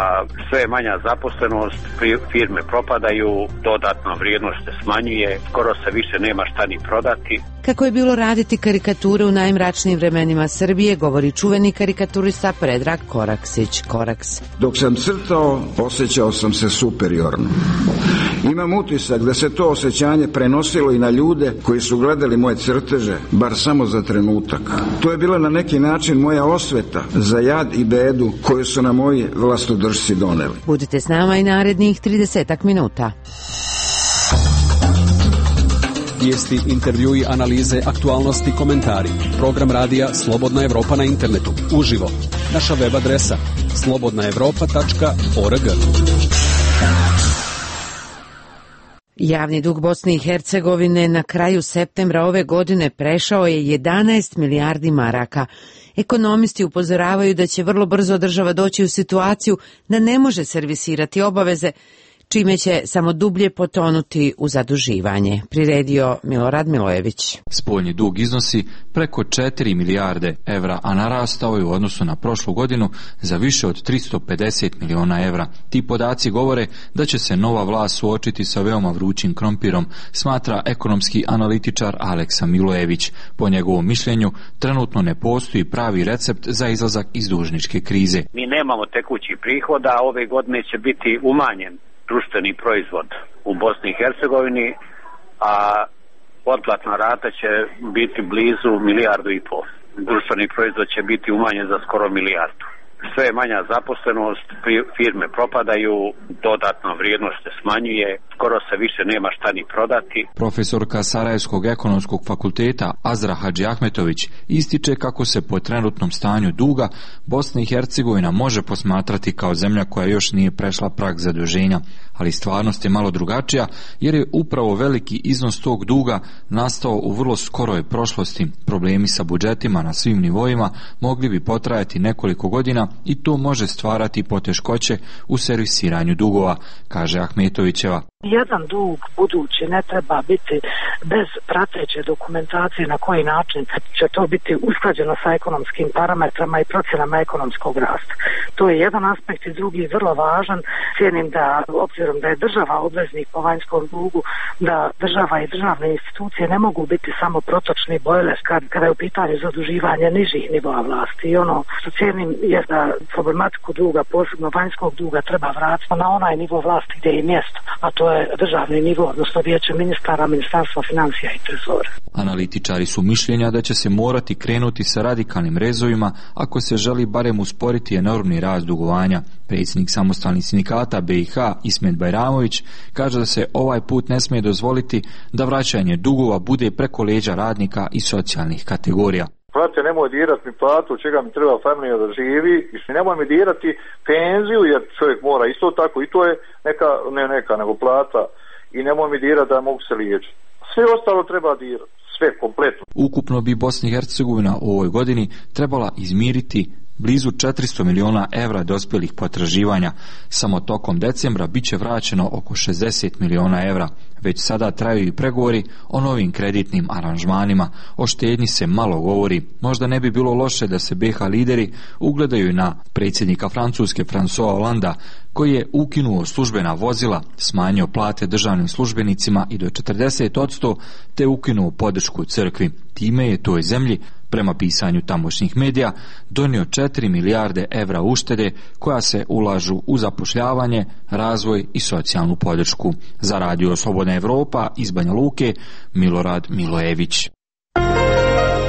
sve je manja zaposlenost, firme propadaju, dodatna vrijednost se smanjuje, skoro se više nema šta ni prodati. Kako je bilo raditi karikature u najmračnijim vremenima Srbije, govori čuveni karikaturista Predrag Koraksić. Koraks. Dok sam crtao, osjećao sam se superiorno. Imam utisak da se to osjećanje prenosilo i na ljude koji su gledali moje crteže, bar samo za trenutak. To je bila na neki način moja osveta za jad i bedu koju su na moji vlastodržci doneli. Budite s nama i narednih tridesetak minuta. Vijesti, intervjui, analize, aktualnosti, komentari. Program radija Slobodna Evropa na internetu. Uživo. Naša web adresa slobodna evropa tačka org. Javni dug Bosne i Hercegovine na kraju septembra ove godine prešao je jedanaest milijardi maraka. Ekonomisti upozoravaju da će vrlo brzo država doći u situaciju da ne može servisirati obaveze, čime će samo dublje potonuti u zaduživanje, priredio Milorad Milojević. Spoljni dug iznosi preko četiri milijarde evra, a narastao je u odnosu na prošlu godinu za više od tristo pedeset miliona evra. Ti podaci govore da će se nova vlast suočiti sa veoma vrućim krompirom, smatra ekonomski analitičar Aleksa Milojević. Po njegovom mišljenju, trenutno ne postoji pravi recept za izlazak iz dužničke krize. Mi nemamo tekući prihoda, a ove godine će biti umanjen društveni proizvod u Bosni i Hercegovini, a otplatna rata će biti blizu milijardu i pol. Društveni proizvod će biti umanjen za skoro milijardu. Sve je manja zaposlenost, firme propadaju, dodatna vrijednost se smanjuje, skoro se više nema šta ni prodati. Profesorka Sarajevskog ekonomskog fakulteta Azra Hadži Ahmetović ističe kako se po trenutnom stanju duga Bosna i Hercegovina može posmatrati kao zemlja koja još nije prešla prag zaduženja, ali stvarnost je malo drugačija jer je upravo veliki iznos tog duga nastao u vrlo skoroj prošlosti. Problemi sa budžetima na svim nivoima mogli bi potrajati nekoliko godina i to može stvarati poteškoće u servisiranju dugova, kaže Ahmetovićeva. Jedan dug budući ne treba biti bez prateće dokumentacije na koji način će to biti usklađeno sa ekonomskim parametrama i procjenama ekonomskog rasta. To je jedan aspekt i drugi vrlo važan. Cijenim da, obzirom da je država obveznik po vanjskom dugu, da država i državne institucije ne mogu biti samo protočni bojler kad, kada je u pitanju zaduživanja nižih nivoa vlasti. I ono što cijenim je da problematiku duga, posebno vanjskog duga, treba vratiti na onaj nivo vlasti gdje je mjesto, a to je državni nivo, odnosno vijeće ministara, ministarstva financija i trezora. Analitičari su mišljenja da će se morati krenuti sa radikalnim rezovima ako se želi barem usporiti enormni rast dugovanja. Predsjednik samostalnih sindikata B i H Ismet Bajramović kaže da se ovaj put ne smije dozvoliti da vraćanje dugova bude preko leđa radnika i socijalnih kategorija. Prate, nemoj dirati mi platu, čega mi treba familija da živi, i nemoj mi dirati penziju, jer čovjek mora isto tako, i to je neka, ne neka, nego plata, i nemoj mi dirati da mogu se liječiti. Sve ostalo treba dirati, sve kompletno. Ukupno bi Bosna i Hercegovina u ovoj godini trebala izmiriti blizu četiristo miliona evra dospjelih potraživanja. Samo tokom decembra bit će vraćeno oko šezdeset miliona evra. Već sada traju i pregovori o novim kreditnim aranžmanima, o štednji se malo govori. Možda ne bi bilo loše da se be ha lideri ugledaju na predsjednika Francuske François Hollanda, koji je ukinuo službena vozila, smanjio plate državnim službenicima i do četrdeset posto te ukinuo podršku crkvi. Time je toj zemlji, prema pisanju tamošnjih medija, donio četiri milijarde evra uštede koja se ulažu u zapošljavanje, razvoj i socijalnu podršku. Za Radio Slobodna Evropa iz Banja Luke, Milorad Milojević.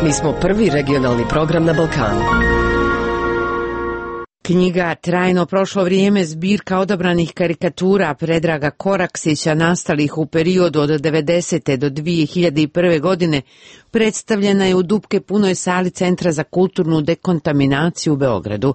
Mi smo prvi regionalni program na Balkanu. Knjiga Trajno prošlo vrijeme, zbirka odabranih karikatura Predraga Koraksića nastalih u periodu od devedesete do dvije hiljade prve. godine, predstavljena je u dupke punoj sali Centra za kulturnu dekontaminaciju u Beogradu.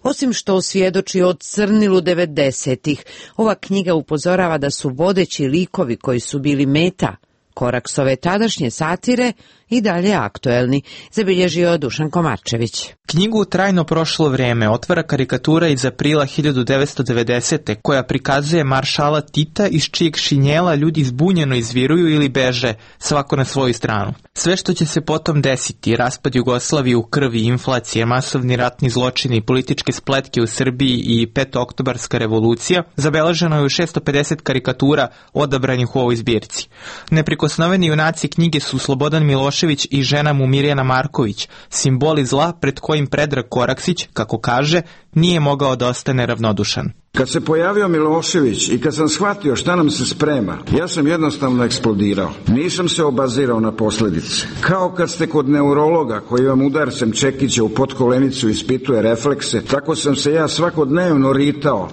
Osim što osvjedoči o crnilu devedesetih, ova knjiga upozorava da su vodeći likovi koji su bili meta Koraksove tadašnje satire i dalje aktuelni, zabilježio Dušan Komarčević. Knjigu Trajno prošlo vrijeme otvara karikatura iz aprila hiljadu devetsto devedesete. koja prikazuje maršala Tita iz čijeg šinjela ljudi zbunjeno izviruju ili beže, svako na svoju stranu. Sve što će se potom desiti, raspad Jugoslavije u krvi, inflacije, masovni ratni zločini, političke spletke u Srbiji i petooktobarska revolucija, zabeleženo je u šesto pedeset karikatura odabranih u ovoj zbirci. Neprikosnoveni junaci knjige su Slobodan Milošević i žena mu Mirjana Marković, simboli zla pred kojim Predrag Koraksić, kako kaže, nije mogao da ostane ravnodušan. Kad se pojavio Milošević i kad sam shvatio šta nam se sprema, ja sam jednostavno eksplodirao. Nisam se obazirao na posljedice. Kao kad ste kod neurologa koji vam udarcem čekića u potkolenicu ispituje reflekse, tako sam se ja svakodnevno ritao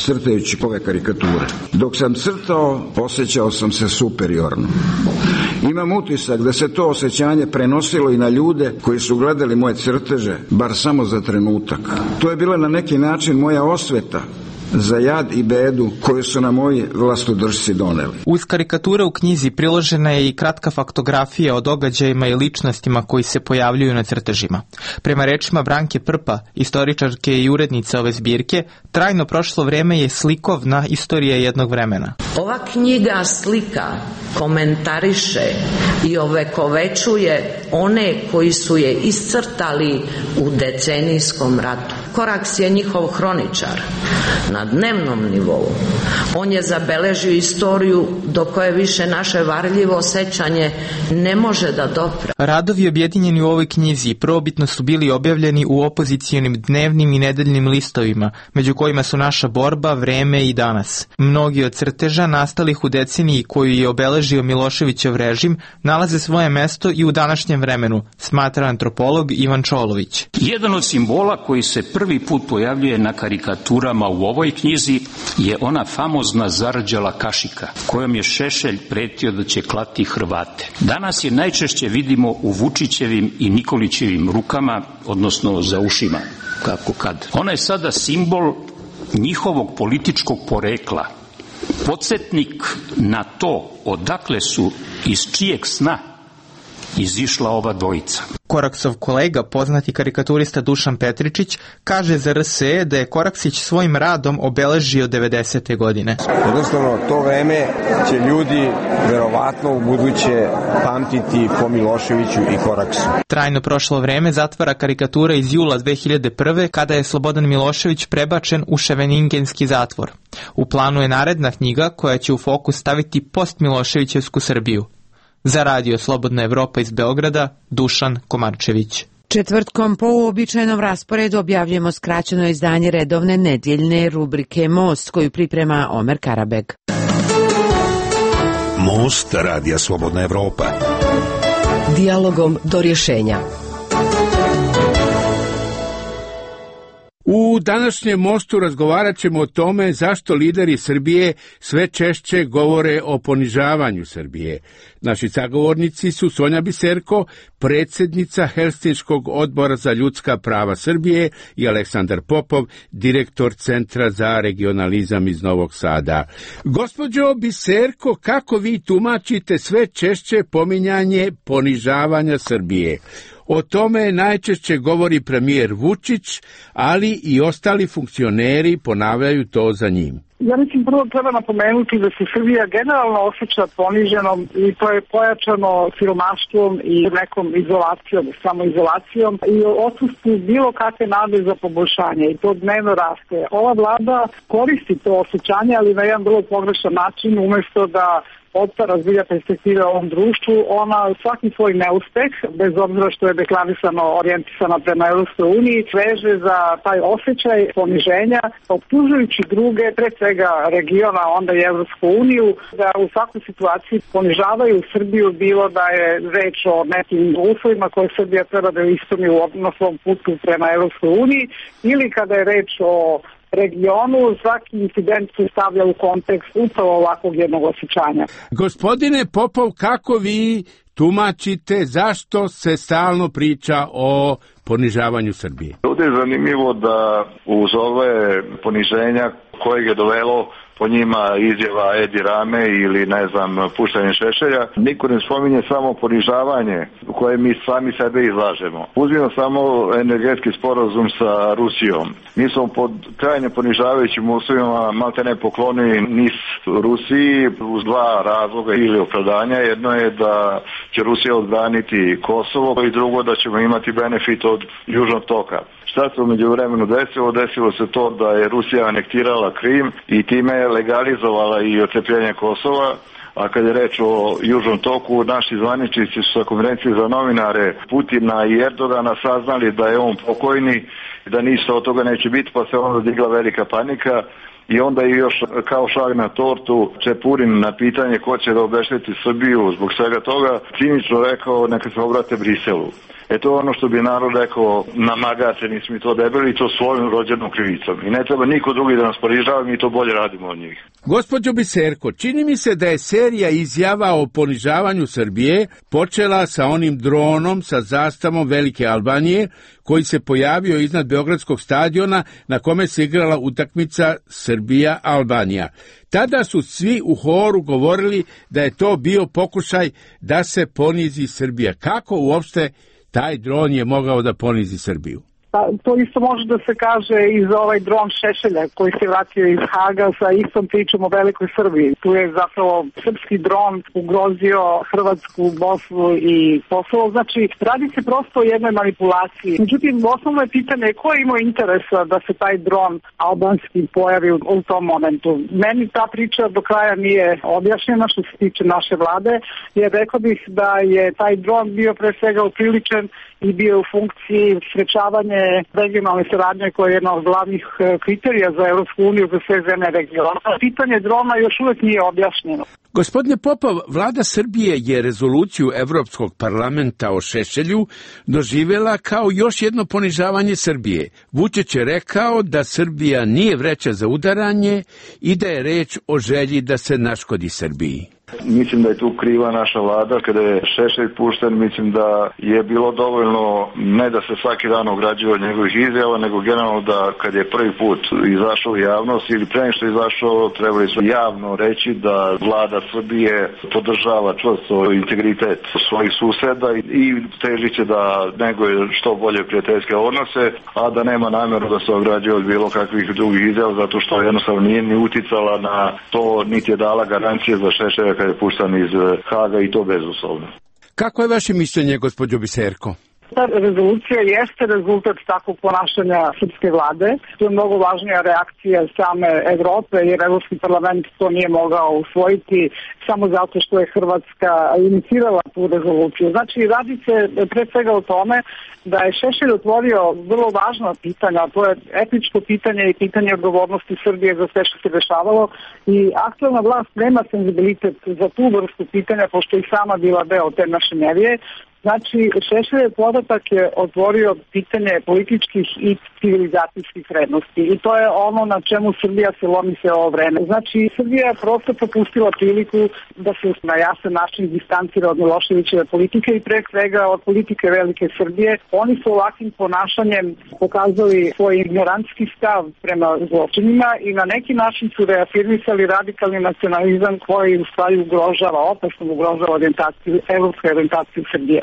crtajući ove karikature. Dok sam crtao, osjećao sam se superiorno. Imam utisak da se to osjećanje prenosilo i na ljude koji su gledali moje crteže, bar samo za trenutak. To je bila na neki način moja osveta za jad i bedu koju su na moji vlastodržci doneli. Uz karikature u knjizi priložena je i kratka faktografija o događajima i ličnostima koji se pojavljuju na crtežima. Prema rečima Branke Prpa, istoričarke i urednice ove zbirke, Trajno prošlo vrijeme je slikovna istorija jednog vremena. Ova knjiga slika, komentariše i ovekovečuje one koji su je iscrtali u decenijskom ratu. Koraks je njihov hroničar na dnevnom nivou. On je zabeležio istoriju do koje više naše varljivo sećanje ne može da dopre. Radovi objedinjeni u ovoj knjizi prvobitno su bili objavljeni u opozicijonim dnevnim i nedeljnim listovima, među kojima su Naša borba, Vreme i Danas. Mnogi od crteža nastalih u deceniji koju je obeležio Miloševićev režim nalaze svoje mesto i u današnjem vremenu, smatra antropolog Ivan Čolović. Jedan od simbola koji se prvi put pojavljuje na karikaturama u ovoj knjizi je ona famozna zarđala kašika, kojom je Šešelj pretio da će klati Hrvate. Danas je najčešće vidimo u Vučićevim i Nikolićevim rukama, odnosno za ušima, kako kad. Ona je sada simbol njihovog političkog porekla, podsjetnik na to odakle su, iz čijeg sna izišla ova dvojica. Koraksov kolega, poznati karikaturista Dušan Petričić, kaže za R S E da je Koraksić svojim radom obeležio devedesete. godine. Jednostavno, to vreme će ljudi verovatno u buduće pamtiti po Miloševiću i Koraksu. Trajno prošlo vreme zatvara karikatura iz jula dve hiljade prve. kada je Slobodan Milošević prebačen u Ševeningenski zatvor. U planu je naredna knjiga koja će u fokus staviti post-Miloševićevsku Srbiju. Za Radio Slobodna Evropa iz Beograda, Dušan Komarčević. Četvrtkom po uobičajenom rasporedu objavljujemo skraćeno izdanje redovne nedjeljne rubrike Most, koju priprema Omer Karabeg. Most Radija Slobodna Evropa. Dijalogom do rješenja. U današnjem mostu razgovarat ćemo o tome zašto lideri Srbije sve češće govore o ponižavanju Srbije. Naši sagovornici su Sonja Biserko, predsjednica Helsinškog odbora za ljudska prava Srbije, i Aleksandar Popov, direktor Centra za regionalizam iz Novog Sada. Gospođo Biserko, kako vi tumačite sve češće pominjanje ponižavanja Srbije? O tome najčešće govori premijer Vučić, ali i ostali funkcioneri ponavljaju to za njim. Ja mislim prvo treba napomenuti da se Srbija generalno osjeća poniženom i to je pojačano siromaštvom i nekom izolacijom, samoizolacijom i odsustvu bilo kakve nade za poboljšanje i to dnevno raste. Ova vlada koristi to osjećanje, ali na jedan vrlo pogrešan način, umjesto da odta razvija perspektive ovom društvu, ona svaki svoj neuspeh, bez obzira što je deklarisano orijentisana prema Europskoj uniji, veže za taj osjećaj poniženja, optužujući druge, pre svega regiona, onda i Europsku uniju, da u svakoj situaciji ponižavaju Srbiju, bilo da je reč o nekim uslovima koje Srbija treba da ispuni na svom putu prema Europskoj uniji, ili kada je reč o regionu, svaki incident se stavlja u kontekst upravo ovakvog jednog osjećanja. Gospodine Popov, kako vi tumačite zašto se stalno priča o ponižavanju Srbije? Ovdje je zanimljivo da uz ove poniženja kojeg je dovelo po njima izjava Edi Rame ili ne znam puštanje Šešelja, niko ne spominje samo ponižavanje koje mi sami sebe izlažemo. Uzmimo samo energetski sporazum sa Rusijom. Mi smo pod krajnje ponižavajućim uslovima malte ne poklonili NIS Rusiji uz dva razloga ili opravdanja. Jedno je da će Rusija odbraniti Kosovo i drugo da ćemo imati benefit od Južnog toka. Šta se u međuvremenu desilo? Desilo se to da je Rusija anektirala Krim i time je legalizovala i otcepljenje Kosova, a kad je reč o Južnom toku, naši zvaničnici su sa konferencije za novinare Putina i Erdogana saznali da je on pokojni i da ništa od toga neće biti, pa se onda digla velika panika. I onda je još kao šlag na tortu Čepurin na pitanje ko će da obešteti Srbiju zbog svega toga cinično rekao neka se obrate Briselu. E to je ono što bi narod rekao, namagate, nismo mi to debeli i to svojom rođenom krivicom. I ne treba niko drugi da nas ponižava, mi to bolje radimo od njih. Gospođo Biserko, čini mi se da je serija izjava o ponižavanju Srbije počela sa onim dronom sa zastavom Velike Albanije koji se pojavio iznad Beogradskog stadiona na kome se igrala utakmica Srbija-Albanija. Tada su svi u horu govorili da je to bio pokušaj da se ponizi Srbija. Kako uopšte taj dron je mogao da ponizi Srbiju? Pa, to isto može da se kaže i za ovaj dron Šešelja koji se vratio iz Haga sa istom pričom o Velikoj Srbiji. Tu je zapravo srpski dron ugrozio Hrvatsku, Bosnu i Kosovo. Znači, radi se prosto o jednoj manipulaciji. Međutim, osnovno je pitanje ko je imao interesa da se taj dron albanski pojavi u, u tom momentu. Meni ta priča do kraja nije objašnjena što se tiče naše vlade, jer rekao bih da je taj dron bio pre svega upriličen i bio u funkciji sprečavanje regionalne saradnje koja je jedna od glavnih kriterija za Europsku uniju za sve zemlje regiona. Pitanje drona još uvijek nije objašnjeno. Gospodine Popov, vlada Srbije je rezoluciju Evropskog parlamenta o Šešelju doživjela kao još jedno ponižavanje Srbije. Vučić je rekao da Srbija nije vreća za udaranje i da je reč o želji da se naškodi Srbiji. Mislim da je tu kriva naša vlada. Kada je Šešelj pušten, mislim da je bilo dovoljno ne da se svaki dan ograđuje od njegovih izjava, nego generalno da kad je prvi put izašao u javnost ili pre nego što je izašao, trebali su javno reći da vlada Srbije podržava čvrsto integritet svojih suseda i teži će da neguje što bolje prijateljske odnose, a da nema namjeru da se ograđuje od bilo kakvih drugih izjava, zato što jednostavno nije ni uticala na to, niti je dala garancije za Šešelja kad je puštan iz Haga i to bezuslovno. Kako je vaše mišljenje, gospođo Biserko? Ta rezolucija jeste rezultat takvog ponašanja srpske vlade. To je mnogo važnija reakcija same Evrope, jer Evropski parlament to nije mogao usvojiti samo zato što je Hrvatska inicirala tu rezoluciju. Znači, radi se pre svega o tome da je Šešelj otvorio vrlo važno pitanje, a to je etičko pitanje i pitanje odgovornosti Srbije za sve što se dešavalo i aktualna vlast nema senzibilitet za tu vrstu pitanja, pošto je sama bila deo te mašinerije. Znači, Šešeljev podatak je otvorio pitanje političkih i civilizacijskih vrednosti i to je ono na čemu Srbija se lomi sve ovo vreme. Znači, Srbija je prosto propustila priliku da se na jasan način distancira od Miloševićeve politike i pre svega od politike Velike Srbije. Oni su ovakvim ponašanjem pokazali svoj ignorantski stav prema zločinima i na neki način su reafirmisali radikalni nacionalizam koji u stvari ugrožava, opasno ugrožava orijentaciju, evropsku orijentaciju Srbije.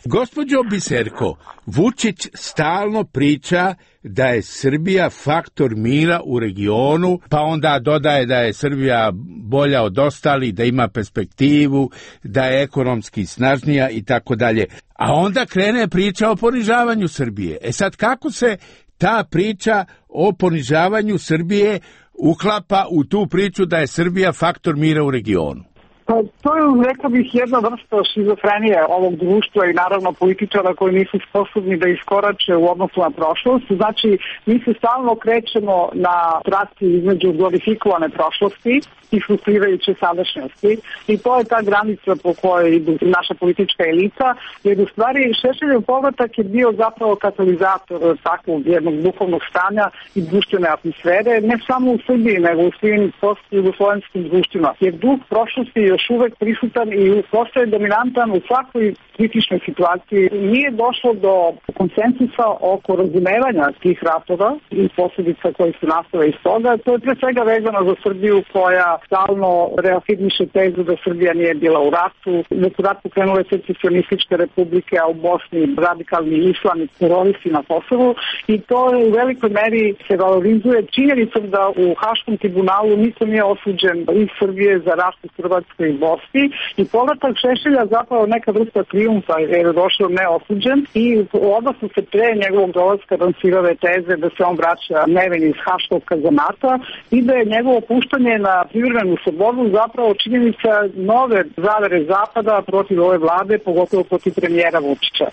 Gospođo Biserko, Vučić stalno priča da je Srbija faktor mira u regionu, pa onda dodaje da je Srbija bolja od ostalih, da ima perspektivu, da je ekonomski snažnija i tako dalje. A onda krene priča o ponižavanju Srbije. E sad, kako se ta priča o ponižavanju Srbije uklapa u tu priču da je Srbija faktor mira u regionu? Pa to je, rekao bih, jedna vrsta šizofrenije ovog društva i naravno političara koji nisu sposobni da iskorače u odnosu na prošlost. Znači, mi se stalno krećemo na traci između glorifikovane prošlosti i frustrirajuće sadašnjosti i to je ta granica po kojoj idu naša politička elita, jer u stvari Šešeljev povratak je bio zapravo katalizator takvog jednog duhovnog stanja i društvene atmosfere, ne samo u Srbiji, nego u svim post-jugoslovenskim društvima, jer duh prošlosti je još uvek prisutan i postaje dominantan u svakoj kritičnoj situaciji. Nije došlo do konsensusa oko razumevanja tih ratova i posljedica koji su nastale iz toga. To je pre svega vezano za Srbiju koja stalno reafirmiše tezu da Srbija nije bila u ratu, da su rat pokrenule secesionističke republike, a u Bosni radikalni islam i teroristi na Kosovu, i to u velikoj meri se valorizuje činjenicom da u Haškom tribunalu niko nije osuđen iz Srbije za rat u Hrvatskoj i Bosni, i povratak Šešelja zapravo neka vrsta trijumfa jer je došao neosuđen i u odnosu se pre njegovog dolaska lansirale teze da se on vraća nevin iz Haškog kazamata i da je njegovo puštanje na privremenu slobodu zapravo činjenica nove zavere Zapada protiv ove vlade, pogotovo protiv premijera Vučića.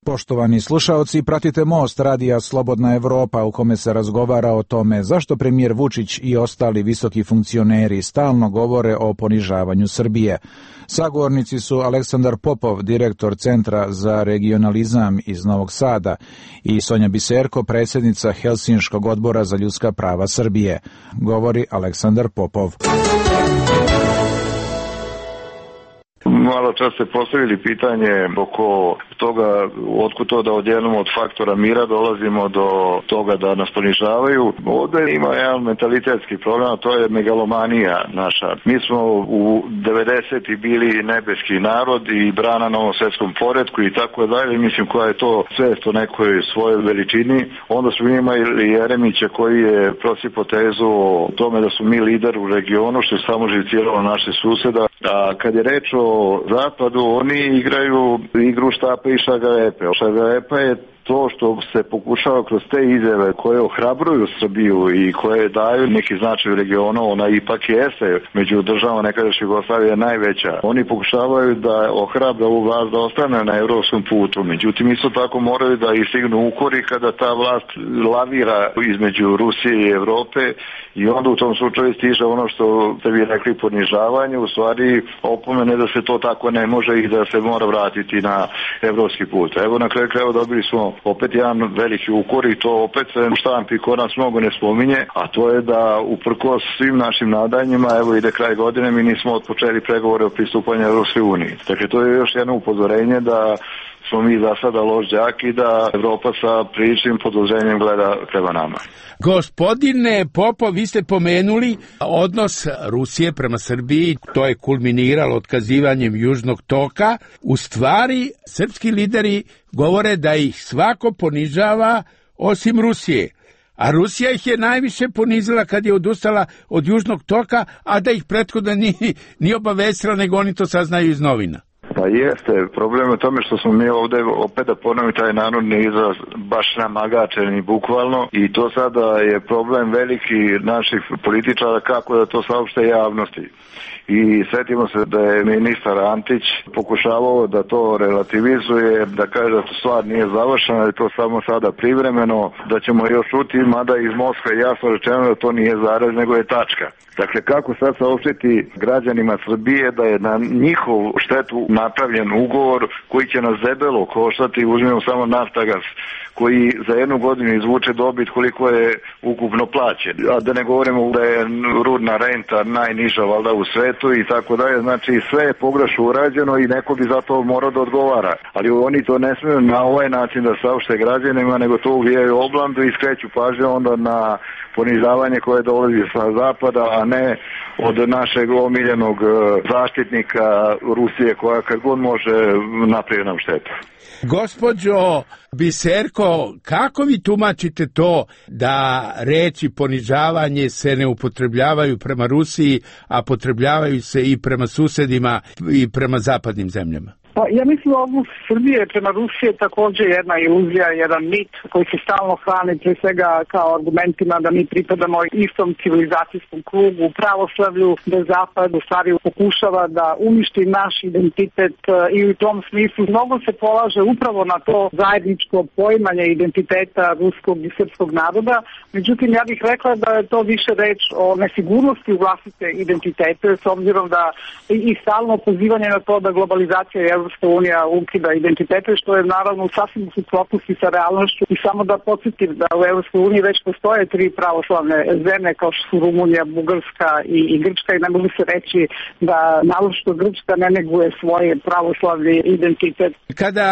Poštovani slušaoci, pratite Most radija Slobodna Evropa u kome se razgovara o tome zašto premijer Vučić i ostali visoki funkcioneri stalno govore o ponižavanju Srbije. Sagovornici su Aleksandar Popov, direktor Centra za regionalizam iz Novog Sada, i Sonja Biserko, predsjednica Helsinškog odbora za ljudska prava Srbije. Govori Aleksandar Popov. Malo čas ste postavili pitanje oko toga otkud to da odjednom od faktora mira dolazimo do toga da nas ponižavaju. Ovdje ima jedan mentalitetski problem, a to je megalomanija naša. Mi smo u devedesetih bili nebeski narod i brana novom svjetskom poretku i tako dalje. Mislim koja je to svest o nekoj svojoj veličini. Onda smo imali Jeremića koji je prosipao tezu o tome da su mi lider u regionu, što je samo živciralo naše suseda. A kad je reč o Zapadu, oni igraju igru štapa i šargarepe. Šargarepa je to što se pokušava kroz te izjave koje ohrabruju Srbiju i koje daju neki značaj u regionu, ona ipak jeste među državama nekadašnje Jugoslavije najveća. Oni pokušavaju da ohrabra ovu vlast da ostane na evropskom putu. Međutim, isto tako moraju da istignu ukori kada ta vlast lavira između Rusije i Evrope i onda u tom slučaju stiže ono što ste vi rekli ponižavanje, u stvari opomene da se to tako ne može i da se mora vratiti na evropski put. Evo na kraju krajeva dobili smo opet jedan veliki ukor i to opet se štampi ko nas mnogo ne spominje, a to je da uprkos svim našim nadanjima, evo ide kraj godine, mi nismo odpočeli pregovore o pristupanju Evropskoj uniji. Dakle, to je još jedno upozorenje da smo mi za sada loš đak i da Evropa sa priličnim podozrenjem gleda prema nama. Gospodine Popov, vi ste pomenuli odnos Rusije prema Srbiji, to je kulminiralo otkazivanjem Južnog toka. U stvari, srpski lideri govore da ih svako ponižava osim Rusije. A Rusija ih je najviše ponizila kad je odustala od Južnog toka, a da ih prethodno nije ni obavestila, nego oni to saznaju iz novina. Pa jeste, problem je u tome što smo mi ovdje, opet da ponovim taj narodni izraz, baš namagačeni bukvalno, i to sada je problem veliki naših političara kako da to saopšte javnosti. I sjetimo se da je ministar Antić pokušavao da to relativizuje, da kaže da to stvar nije završena, da je to samo sada privremeno, da ćemo još čuti, mada iz Moskve jasno rečeno da to nije zarez, nego je tačka. Dakle, kako sad saopštiti građanima Srbije da je na njihov štetu napravljen ugovor koji će nas debelo koštati, uzmemo samo Naftagas, koji za jednu godinu izvuče dobit koliko je ukupno plaćen. A da ne govorimo da je rudna renta najniža valjda u svetu i tako dalje. Znači sve je pogrešno urađeno i neko bi za to morao da odgovara. Ali oni to ne smiju na ovaj način da saopšte građanima, nego to uvijaju oblandu i skreću pažnju onda na ponižavanje koje dolazi sa zapada, a ne od našeg omiljenog zaštitnika Rusije koja kad god može napravi nam štetu. Gospođo Biserko, kako vi tumačite to da reči ponižavanje se ne upotrebljavaju prema Rusiji, a potrebljavaju se i prema susedima i prema zapadnim zemljama? Pa, ja mislim da odnos Srbije prema Rusiji je također jedna iluzija, jedan mit koji se stalno hrani pre svega kao argumentima da mi pripadamo istom civilizacijskom krugu, pravoslavlju, da Zapad u stvari pokušava da uništi naš identitet i u tom smislu mnogo se polaže upravo na to zajedničko poimanje identiteta ruskog i srpskog naroda. Međutim, ja bih rekla da je to više reč o nesigurnosti u vlastite identitete, s obzirom da i stalno pozivanje na to da globalizacija je Evropska unija ukida identitete, što je naravno sasvim u suprotnosti sa realnošću. I samo da podsjetim da u Evropskoj uniji već postoje tri pravoslavne zemlje kao što su Rumunija, Bugarska i, i Grčka i ne može se reći da naročito Grčka ne neguje svoj pravoslavni identitet. Kada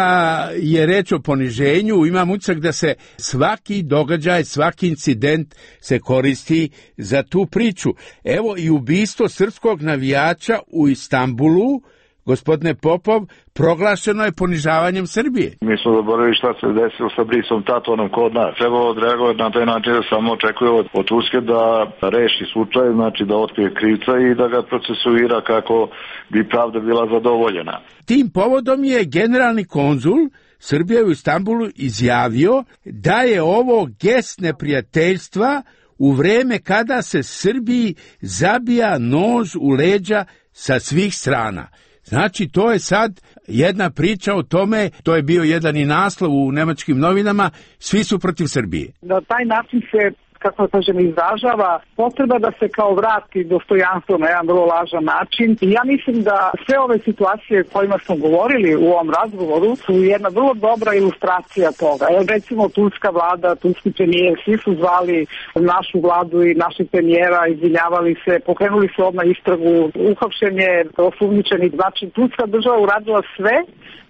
je reč o poniženju, imam utisak da se svaki događaj, svaki incident se koristi za tu priču. Evo i ubistvo srpskog navijača u Istanbulu, gospodine Popov, proglašeno je ponižavanjem Srbije. Mi smo zaboravili šta se desilo sa Brisom Tatonom kod nas. Treba odreagovati na taj način da samo očekuje od, od Turske da reši slučaj, znači da otkrije krivca i da ga procesuira kako bi pravda bila zadovoljena. Tim povodom je generalni konzul Srbije u Istanbulu izjavio da je ovo gest neprijateljstva u vreme kada se Srbiji zabija nož u leđa sa svih strana. Znači, to je sad jedna priča o tome, to je bio jedan i naslov u nemačkim novinama, svi su protiv Srbije. Na taj način se, kako kažem, izražava potreba da se kao vrati dostojanstvo na jedan vrlo lažan način. I ja mislim da sve ove situacije kojima smo govorili u ovom razgovoru su jedna vrlo dobra ilustracija toga. Evo, recimo, turska vlada, turski premijer, svi su zvali našu vladu i našeg premijera, izvinjavali se, pokrenuli su odmah istragu, uhapšenje, osumnjičeni. Znači, turska država uradila sve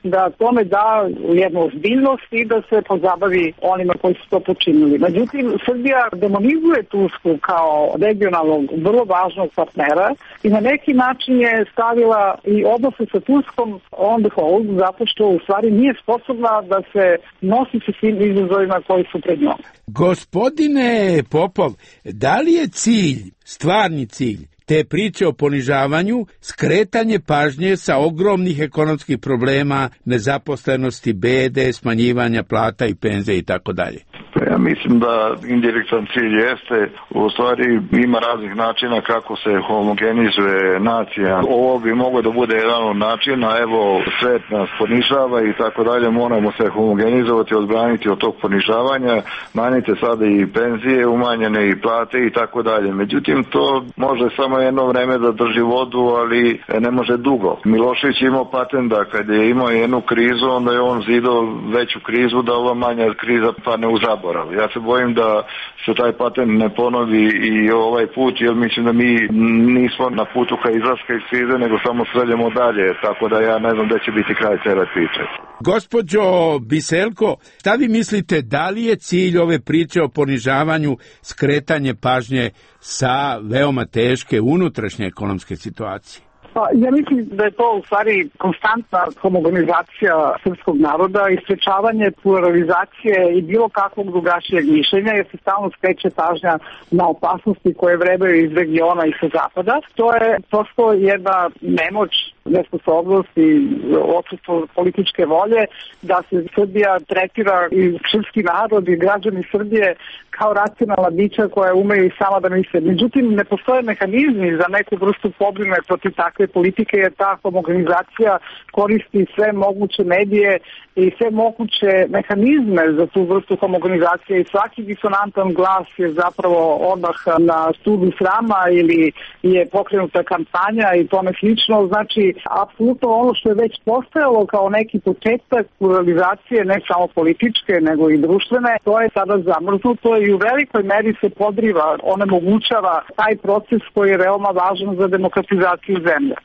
da tome da jednu ozbiljnost i da se pozabavi onima koji su to počinili. Međutim, Srbija demonizuje Tursku kao regionalnog, vrlo važnog partnera i na neki način je stavila i odnose sa Turskom on the hold, zato što u stvari nije sposobna da se nosi sa svim izazovima koji su pred njom. Gospodine Popov, da li je cilj, stvarni cilj, te priče o ponižavanju, skretanje pažnje sa ogromnih ekonomskih problema, nezaposlenosti, bede, smanjivanja plata i penzija i tako dalje? Ja mislim da indirektan cilj jeste, u stvari ima raznih načina kako se homogenizuje nacija. Ovo bi moglo da bude jedan od načina, evo svet nas ponižava i tako dalje, moramo se homogenizovati, odbraniti od tog ponižavanja, manjite sada i penzije, umanjene i plate i tako dalje. Međutim, to može samo jedno vreme da drži vodu, ali ne može dugo. Milošević je imao patent da kad je imao jednu krizu, onda je on zidao veću krizu da ova manja kriza padne u zaborav. Ja se bojim da se taj patent ne ponovi i ovaj put, jer mislim da mi nismo na putu ka izlaska iz krize, nego samo sreljemo dalje, tako da ja ne znam da će biti kraj cele priče. Gospođo Biselko, šta vi mislite, da li je cilj ove priče o ponižavanju skretanje pažnje sa veoma teške unutrašnje ekonomske situacije? Pa, ja mislim da je to u stvari konstantna homogenizacija srpskog naroda i sprečavanje pluralizacije i bilo kakvog drugačijeg mišljenja, jer se stalno skreće pažnja na opasnosti koje vrebaju iz regiona i sa zapada. To je prosto jedna nemoć, nesposobnost i odsustvo političke volje da se Srbija tretira i srpski narod i građani Srbije kao racionalna bića koja umeju i sama da misle. Međutim, ne postoje mehanizmi za neku vrstu pobrine protiv takve politike, jer ta homogenizacija koristi sve moguće medije i sve moguće mehanizme za tu vrstu homogenizacije i svaki disonantan glas je zapravo odmah na studu srama ili je pokrenuta kampanja i tome slično. Znači, apsolutno ono što je već postojalo kao neki početak pluralizacije, ne samo političke, nego i društvene, to je sada zamrznuto i u velikoj meri se podriva, onemogućava taj proces koji je veoma važan za demokratizaciju zemlje.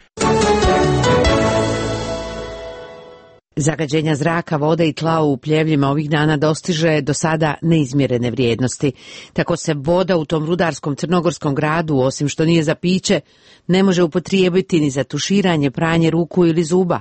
Zagađenja zraka, vode i tla u Pljevljima ovih dana dostiže do sada neizmjerene vrijednosti. Tako se voda u tom rudarskom crnogorskom gradu, osim što nije za piće, ne može upotrijebiti ni za tuširanje, pranje ruku ili zuba.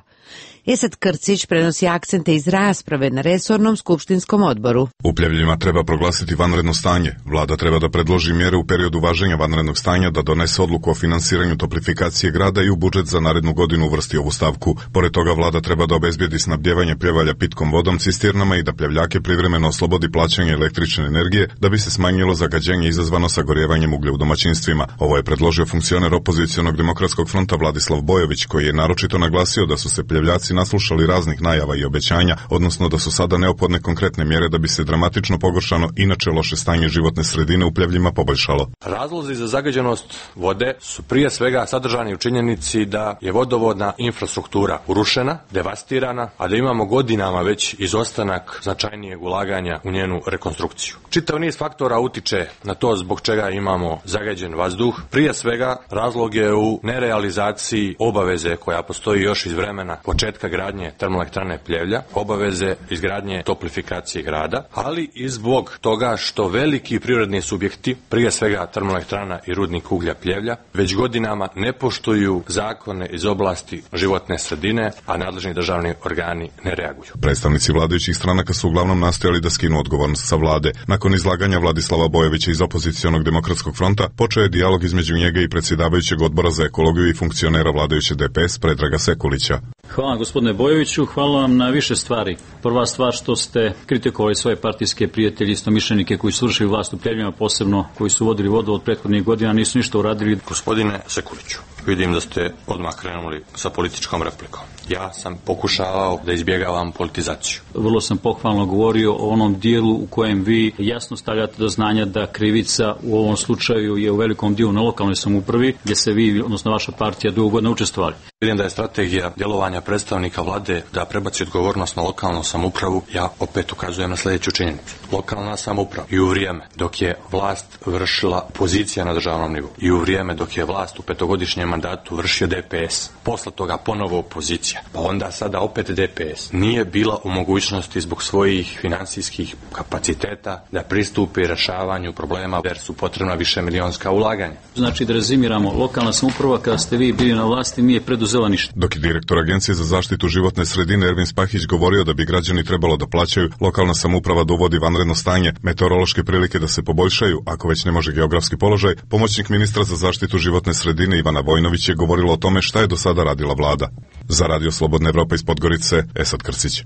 Esad Krcić prenosi akcente iz rasprave na resornom skupštinskom odboru. U Pljevljima treba proglasiti vanredno stanje. Vlada treba da predloži mjere u periodu važenja vanrednog stanja, da donese odluku o finansiranju toplifikacije grada i u budžet za narednu godinu uvrsti ovu stavku. Pored toga vlada treba da obezbijedi snabdjevanje Pljevalja pitkom vodom, cisternama i da Pljevljake privremeno oslobodi plaćanja električne energije da bi se smanjilo zagađenje izazvano sagorjevanjem uglja u domaćinstvima. Ovo je predložio funkcioner opozicionog demokratskog fronta Vladislav Bojović, koji je naročito naglasio da su se Pljevljaci naslušali raznih najava i obećanja, odnosno da su sada neophodne konkretne mjere da bi se dramatično pogoršano inače loše stanje životne sredine u Pljevljima poboljšalo. Razlozi za zagađenost vode su prije svega sadržani u činjenici da je vodovodna infrastruktura urušena, devastirana, a da imamo godinama već izostanak značajnijeg ulaganja u njenu rekonstrukciju. Čitav niz faktora utiče na to zbog čega imamo zagađen vazduh. Prije svega razlog je u nerealizaciji obaveze koja postoji još iz vremena početka gradnje termoelektrane Pljevlja, obaveze izgradnje toplifikacije grada, ali i zbog toga što veliki privredni subjekti, prije svega termoelektrana i rudnik uglja Pljevlja, već godinama ne poštuju zakone iz oblasti životne sredine, a nadležni državni organi ne reaguju. Predstavnici vladajućih stranaka su uglavnom nastojali da skinu odgovornost sa vlade. Nakon izlaganja Vladislava Bojovića iz opozicionog demokratskog fronta, počeo je dijalog između njega i predsjedavajućeg odbora za ekologiju i funkcionera vladajuće D P S Predraga Sekulića. Hvala gospodine Bojoviću, hvala vam na više stvari. Prva stvar što ste kritikovali svoje partijske prijatelje, istomišljenike koji su vršili vlast u Pljevljima, posebno koji su vodili vodu od prethodnih godina, nisu ništa uradili. Gospodine Sekuliću, vidim da ste odmah krenuli sa političkom replikom. Ja sam pokušavao da izbjegavam politizaciju. Vrlo sam pohvalno govorio o onom dijelu u kojem vi jasno stavljate do znanja da krivica u ovom slučaju je u velikom dijelu na lokalnoj samoupravi, gdje se vi, odnosno vaša partija, dugo godina učestvovali. Vidim da je strategija djelovanja predstavnika vlade da prebaci odgovornost na lokalnu samoupravu. Ja opet ukazujem na sljedeću činjenicu. Lokalna samouprava i u vrijeme dok je vlast vršila pozicija na državnom nivou i u vrijeme dok je vlast u petogodišnjem mandatu vršio D P S, posle toga ponovo opozicija, pa onda sada opet D P S, nije bila u mogućnosti zbog svojih financijskih kapaciteta da pristupi rješavanju problema jer su potrebna više milionska ulaganja. Znači da rezimiramo, lokalna samouprava kada ste vi bili na vlasti nije preduzela ništa. Dok je direktor Agencije za zaštitu životne sredine Ervin Spahić govorio da bi građani trebalo da plaćaju, lokalna samouprava da uvodi vanredno stanje, meteorološke prilike da se poboljšaju, ako već ne može geografski položaj, pomoćnik ministra za zaštitu životne sredine Ivana Vojnović je govorilo o tome šta je do sada radila vlada. Za Radio Slobodna Evropa iz Podgorice, Esad Krcić.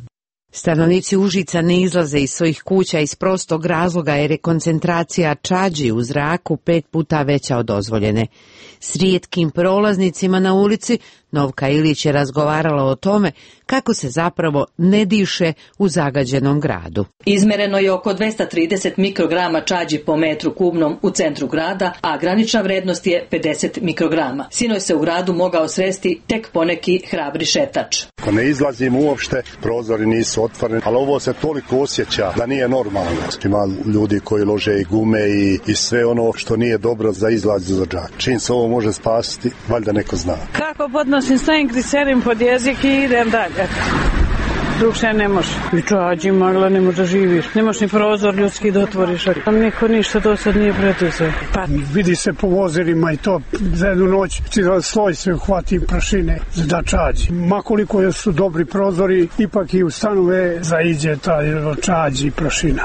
Stanovnici Užica ne izlaze iz svojih kuća iz prostog razloga jer je koncentracija čađi u zraku pet puta veća od dozvoljene. S rijetkim prolaznicima na ulici Novka Ilić je razgovarala o tome kako se zapravo ne diše u zagađenom gradu. Izmereno je oko dvesta trideset mikrograma čađi po metru kubnom u centru grada, a granična vrednost je pedeset mikrograma. Sinoć se u gradu mogao sresti tek poneki hrabri šetač. Ako ne izlazim uopšte, prozori nisu otvoreni, ali ovo se toliko osjeća da nije normalno. Ima ljudi koji lože i gume i, i sve ono što nije dobro za izlaz za džak. Čim se ovo može spasiti, valjda neko zna. Kako podnosim stavim glicerin pod jezik i idem dalje. Drugše ne može. I čađi magla ne može živiš. Ne možeš ni prozor ljudski da otvoriš. Tam niko ništa do sad nije preduzeo. Pa vidi se po vozilima i to za jednu noć sloj se uhvati prašine da čađi. Makoliko su dobri prozori, ipak i u stanove zaiđe taj čađi i prašina.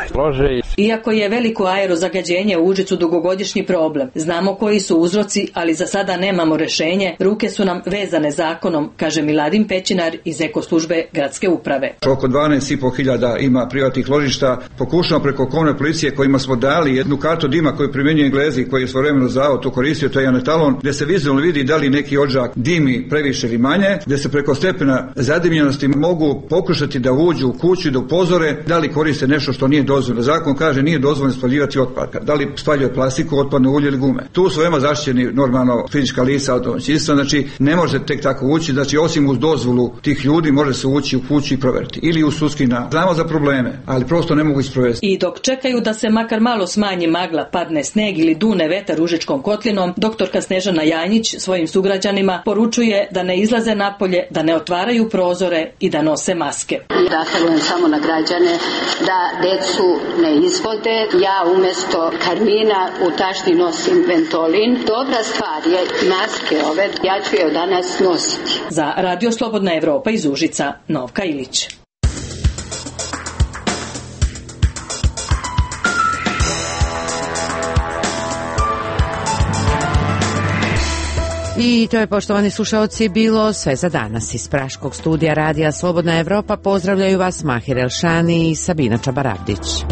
Iako je veliko aerozagađenje u Užicu dugogodišnji problem, znamo koji su uzroci, ali za sada nemamo rešenje. Ruke su nam vezane zakonom, kaže Miladin Pećinar iz Ekoslužbe gradske uprave. Oko dvanaest i pol hiljada ima privatnih ložišta. Pokušamo preko komunalne policije kojima smo dali jednu kartu dima koju primjenjuje Englezi, koji je svojevremeno zavod to koristio, to je jedan etalon, gdje se vizualno vidi da li neki odžak dimi previše ili manje, gdje se preko stepena zadimljenosti mogu pokušati da uđu u kuću i da upozore da li koriste nešto što nije dozvoljeno. Zakon kaže nije dozvoljeno spaljivati otpad. Da li spaljuje plastiku, otpadno ulje ili gume. Tu su veoma zaštićeni normalno fizička lica od domaćinstva, znači ne može tek tako ući, znači osim uz dozvolu tih ljudi može se ući u kuću i isproveriti ili u sudski na. Znamo za probleme, ali prosto ne mogu isprovesti. I dok čekaju da se makar malo smanji magla, padne sneg ili dune vetar Užičkom kotlinom, doktorka Snežana Janjić svojim sugrađanima poručuje da ne izlaze napolje, da ne otvaraju prozore i da nose maske. Da apelujem samo na građane da decu ne izvode. Ja umjesto karmina u tašni nosim Ventolin. Dobra stvar je maske ove, ja ću je od danas nositi. Za Radio Slobodna Evropa iz Užica, Novka Ilić. I to je, poštovani slušaoci, bilo sve za danas. Iz Praškog studija Radija Slobodna Evropa pozdravljaju vas Mahir Elšani i Sabina Čabaravdić.